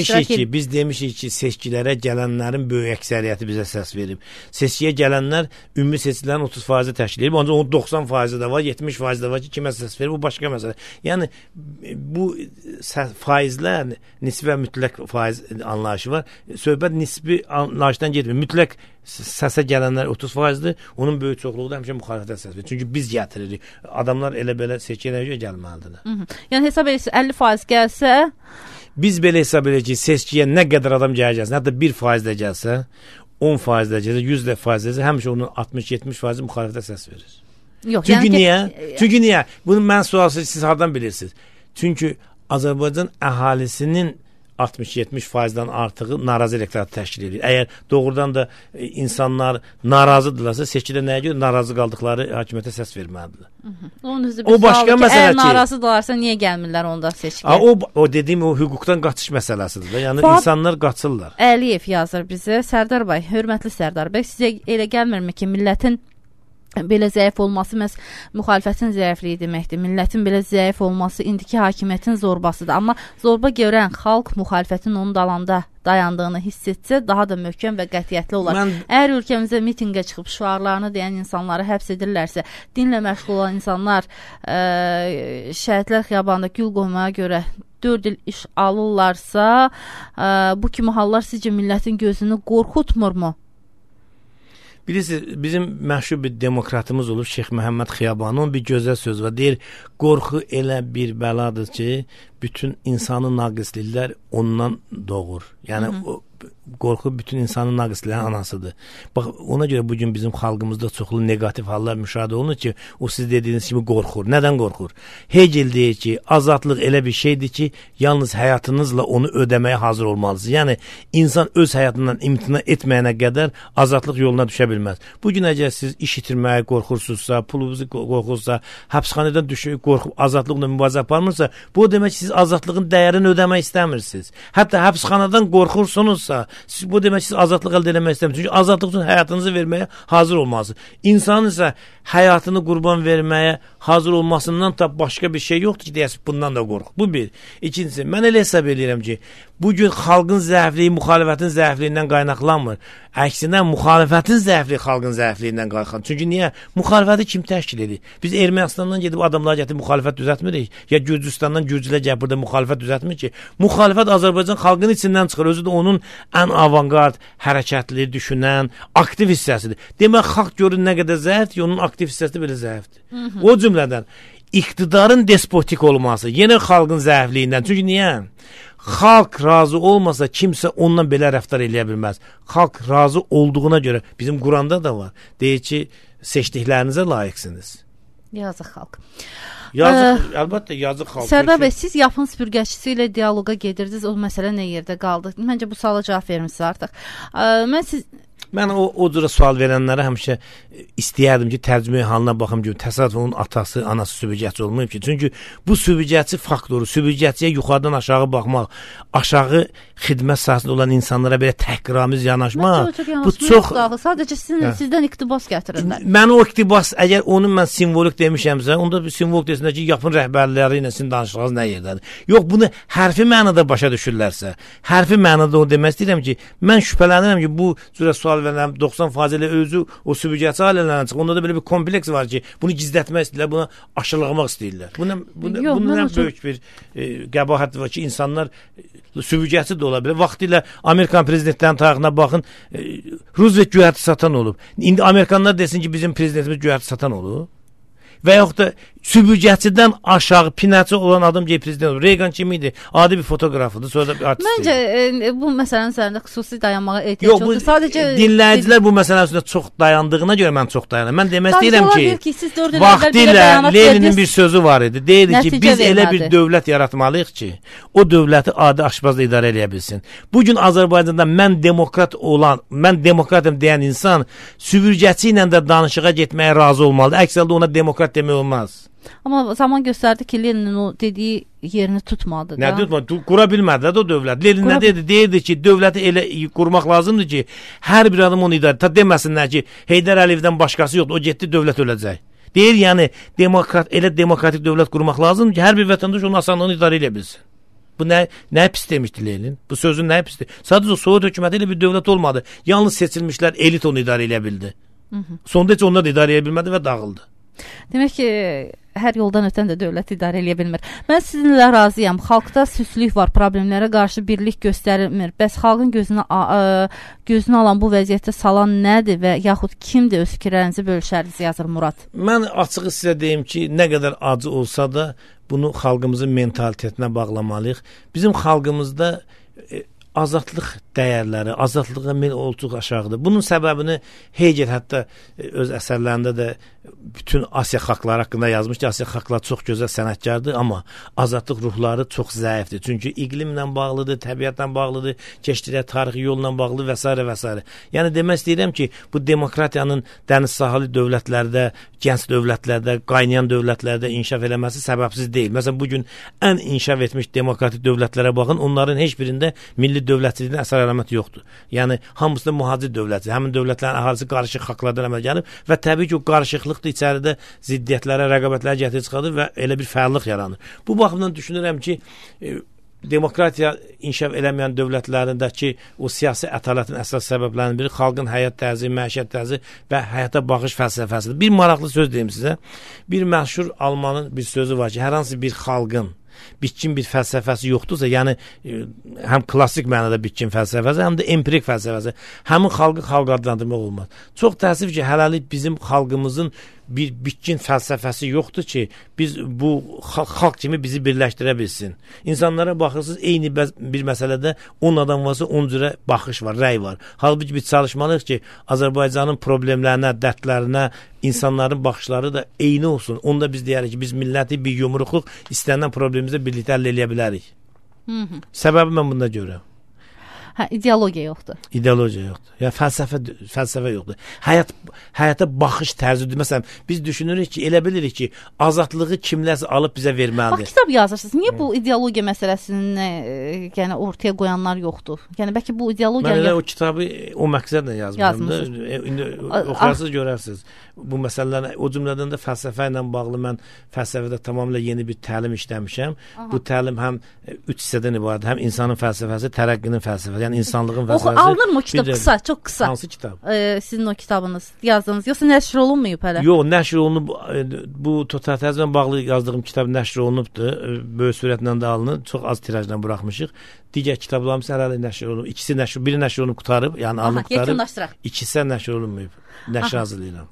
Biz demişik ki, seçkilərə gələnlərin böyük əksəriyyəti bizə səs verib. Seçkiyə gələnlər ümumi seçkilərin 30% təşkil edib, ancaq onun 90% də var, 70% də var ki, kimə səs verib, bu başqa məsələ. Yəni, bu faizlər, nisbi və mütləq faiz anlayışı var. Söhbət nisbi anlayışdan getmir. Mütləq səsə gələnlər 30%-dir, onun böyük çoxluğu da həmişə müxalifətə səs verir. Çünki biz gətiririk. Adamlar elə belə seçkiyə gəlməlidirlər. Yəni hesab edirsə 50% gəlsə, biz belə hesab edirik ki, seçkiyə nə qədər adam gələcəksə, hətta 1% də gəlsə, 10% də gəlsə, 100% də həmişə onun 60-70% müxalifətə səs verir. Yox, çünki niyə? Çünki niyə? Bunu mən sualsız siz hardan bilirsiniz? Çünki Azərbaycan əhalisinin 60-70%-dən artığı narazı elektorat təşkil edir. Əgər doğrudan da insanlar narazıdırlarsa, seçkidə nəyə görə narazı qaldıqları hakimiyyətə səs verməlidirlər. O başqa məsələ ki, əgər narazıdırlarsa niyə gəlmirlər onda seçkiyə? O dediyim o hüquqdan qaçış məsələsidir. Yəni insanlar qaçırlar. Əliyev yazır bizə, Sərdar bəy, hörmətli Sərdar bəy, sizə elə gəlmirmi ki, millətin belə zəif olması məhz müxalifətin zəifliyi deməkdir. Millətin belə zəif olması indiki hakimiyyətin zorbasıdır. Amma zorba görən xalq müxalifətin onun dalanda dayandığını hiss etsə, daha da möhkəm və qətiyyətli olar. Əgər ölkəmizə mitinqə çıxıb şüarlarını deyən insanları həbs edirlərsə, dinlə məşğul olan insanlar şəhidlər xiyabanında gül qoymaya görə 4 il iş alırlarsa, bu kimi hallar sizcə millətin gözünü qorxutmurmu? Bilirsiniz, bizim məşhur bir demokratımız olub, Şeyx Məhəmməd Xiyabanın bir gözəl söz var. Deyir, qorxu elə bir bəladır ki, bütün insanı naqisliklər ondan doğur. Yəni, qorxu bütün insanın naqisliklərin anasıdır. Bax, ona görə bugün bizim xalqımızda çoxlu negativ hallar müşahidə olunur ki, o siz dediyiniz kimi qorxur. Nədən qorxur? Hegel deyir ki, azadlıq elə bir şeydir ki, yalnız həyatınızla onu ödəməyə hazır olmalısınız. Yəni, insan öz həyatından imtina etməyənə qədər azadlıq yoluna düşə bilməz. Bugün əgər siz iş itirməyə qorxursunuzsa, pulunuzu qorxursa, həbsxanadan qorxub azadlıqla mübarizə aparmırsa, bu demək ki, siz azadlığın dəyərini ödəmək istəmirsiniz. Hətta həbsxanadan qorxursunuzsa, bu demək ki, siz azadlıq əldə eləmək istəmirsiniz. Çünki azadlıq üçün həyatınızı verməyə hazır olmalısınız. İnsanın isə həyatını qurban verməyə hazır olmasından da başqa bir şey yoxdur ki, deyəsiz, bundan da qorx. Bu bir. İkincisi, mən elə hesab edirəm ki, bugün xalqın zəifliyi müxalifətin zəifliyindən qaynaqlanmır. Əksinə, müxalifətin zəifliyi xalqın zəifliyindən qaynaqlanır. Çünki niyə? Müxalifəti kim təşkil edir? Biz Ermənistandan gedib adamlar gətirib müxalifət düzəltmirik. Ya Gürcüstandan Gürcülər gəlib burada müxalifət düzəltmir ki. Müxalifət Azərbaycan xalqının içindən çıxır. Özü də onun ən avangard, hərəkətli, düşünən, aktiv hissəsidir. Demək, xalq görün nə qədər zəifdir, onun aktiv hissəsi belə zəifdir. O cümlədən iqtidarın despotik olması yenə xalqın zəifliyindən. Çünki niyə? Xalq razı olmasa kimsə ondan belə rəftar eləyə bilməz. Xalq razı olduğuna görə bizim Quranda da var. Deyir ki, seçdiklərinizə layiqsiniz. Yazıq xalq. Əlbəttə yazıq xalq. Sərdar bəy, siz yapın süpürgəçisi ilə dialoqa gedirdiniz. O məsələ nə yerdə qaldı? Məncə bu suala cavab vermisiniz artıq. Mən o cürə sual verənlərə həmişə istəyərdim ki, tərcümə halına baxım ki, təsadüf onun atası, anası sübücətçi olmayıb ki. Çünki bu sübücətçi faktoru, sübücətçiyə yuxarıdan aşağı baxmaq, aşağı xidmət sahəsində olan insanlara belə təhqiramiz yanaşmaq, bu çox... Sadəcə sizdən iqtibas gətirirlər. Mən o iqtibas, əgər onu mən simvolik demişəmsə, onda bir simvolik desinlər ki, yapın rəhbərləri ilə sizin danışığınız nə yerdədir? Yox, bunu hərfi mənada başa düşürlərsə, hərfi mənada o demək istəyirəm ki, mən şübhələnirəm ki, bu cürə sual verənəm 90% ilə özü o sübücətçi ailələrdən çıxır. Onda da belə bir kompleks var ki, bunu gizlətmək istəyirlər, buna aşılamaq istəyirlər. Bundan böyük bir qəbahət var ki, insanlar sübücətçi də ola bilər. Vaxtilə Amerikan prezidentlərinin tarixinə baxın, Roosevelt göyərti satan olub. İndi Amerikanlar desin ki, bizim prezidentimiz göyərti satan olub. Və yaxud da sübücəçidən aşağı pinəçi olan adam ki, prezident olur. Reagan kim idi? Adi bir fotoqrafıdır, sonra da bir artist. Məncə bu məsələnin üzərində xüsusi dayanmağa ehtiyac yoxdur. Sadəcə dinləyicilər bu məsələ üstündə çox dayandığına görə mən çox dayanıram. Mən demək istəyirəm ki, vaxtilə Leninin bir sözü var idi. Deyirdi ki, biz elə bir dövlət yaratmalıyıq ki, o dövləti adi aşpazla idarə edə bilsin. Bugün Azərbaycanda mən demokratım deyən insan sübürgəçi ilə də danışığa getməyə razı olmalıdır. Əks halda ona demokrat demək olmaz. Amma zaman göstərdi ki, Leninin o dediyi yerini tutmadı. Nə tutmadı? Qura bilmədi də o dövlət. Lenin nə dedi? Deyirdi ki, dövləti elə qurmaq lazımdır ki, hər bir adam onu idarə. Ta deməsinlər ki, Heydər Əliyevdən başqası yoxdur, o getdi, dövlət öləcək. Deyir, yəni elə demokratik dövlət qurmaq lazımdır ki, hər bir vətəndaş onu asanlığını idarə edə bilsin. Bu nə pis demişdi Lenin? Bu sözün nə pisdir? Sadəcə Sovet hökuməti ilə bir dövlət olmadı. Yalnız seçilmişlər, elit onu idarə edə bildi. Sonda heç onlar da idarə edə bilmədi və dağıldı. Demək ki, hər yoldan ötən də dövlət idarə edə bilmir. Mən sizinlə razıyam. Xalqda süslük var, problemlərə qarşı birlik göstərilmir. Bəs xalqın gözünü alan bu vəziyyətə salan nədir və yaxud kimdir? Öz fikirlərinizi bölüşərdiniz, yazır Murad. Mən açığı sizə deyim ki, nə qədər acı olsa da bunu xalqımızın mentalitetinə bağlamalıyıq. Bizim xalqımızda azadlıq dəyərləri, azadlığa meyl olduq aşağıdır. Bunun səbəbini Hegel hətta öz əsərlərində də bütün Asiya xalqları haqqında yazmış ki, Asiya xalqları çox gözəl sənətkardır, amma azadlıq ruhları çox zəifdir. Çünki iqlimlə bağlıdır, təbiətlə bağlıdır, keçdikləri tarixi yolla bağlıdır və s. və s. Yəni demək istəyirəm ki, bu demokratiyanın dəniz sahili dövlətlərdə, gənc dövlətlərdə, qaynayan dövlətlərdə inkişaf eləməsi səbəbsiz deyil. Məsələn, bugün ən inkişaf etmiş demokratik dövlətlərə baxın, onların heç birində milli dövlətçiliyin əsər əlaməti yoxdur. Yəni hamısında mühacir dövləti, həmin dövlətlərin əhalisi qarışıq xalqlardan əmələ gəlib və təbii ki, o qarışıqlıq da içəridə ziddiyyətlərə, rəqabətlərə gətirib çıxardır və elə bir fəallıq yaranır. Bu baxımdan düşünürəm ki, demokratiya inkişaf eləməyən dövlətlərindəki o siyasi ətalətin əsas səbəblərinin biri xalqın həyat tərzi, məişət tərzi və həyata baxış fəlsəfəsidir. Bir maraqlı söz deyim sizə. Bir məşhur Almanın bir sözü var ki, hər hansı bir xalqın bitkin bir fəlsəfəsi yoxdursa, yəni həm klassik mənada bitkin fəlsəfəsi, həm də empirik fəlsəfəsi, həmin xalqı xalq adlandırmaq olmaz. Çox təəssüf ki, hələlik bizim xalqımızın bir bitkin fəlsəfəsi yoxdur ki, biz bu xalq kimi bizi birləşdirə bilsin. İnsanlara baxırsınız, eyni bir məsələdə 10 adam varsa 10 cürə baxış var, rəy var. Halbuki biz çalışmalıyıq ki, Azərbaycanın problemlərinə, dərdlərinə insanların baxışları da eyni olsun. Onda biz deyərik ki, biz milləti bir yumruqluq istənilən problemimizə birlikdə həll eləyə bilərik. Səbəbi mən bunda görürəm. Hə, ideologiya yoxdur. İdeologiya yoxdur. Yəni fəlsəfə yoxdur. Həyata baxış tərzidir. Məsələn, biz düşünürük ki, elə bilirik ki, azadlığı kimlərsə alıb bizə verməlidir. Bax, kitab yazırsınız. Niyə bu ideologiya məsələsini yəni ortaya qoyanlar yoxdur? Yəni bəlkə bu ideologiya... Mən elə o kitabı o məqsədlə yazmışam. İndi oxuyarsınız, görərsiniz. Bu məsələlərin, o cümlədən də fəlsəfə ilə bağlı mən fəlsəfədə tamamilə yeni bir təlim işləmişəm. Bu təlim həm 3 hissədən ibarət, həm insanın fəlsəfəsi, tərəqqinin fəlsəfəsi, yəni insanlığın fəlsəfəsi. Alınırmı o kitab qısa, çox qısa? Hansı kitab? Sizin o kitabınız yazdığınız, yoxsa nəşr olunmayıb hələ? Yox, nəşr olunub, bu totalitarizmlə bağlı yazdığım kitab nəşr olunubdur, böyük sürətlə də alınıb, çox az tirajla buraxmışıq. Digər kitablarımız hələ nəşr olunub, biri nəşr olunub qutarıb, yəni alınıb qutarıb, ikisi nəşr olunmayıb, nəşr hazırlayıram.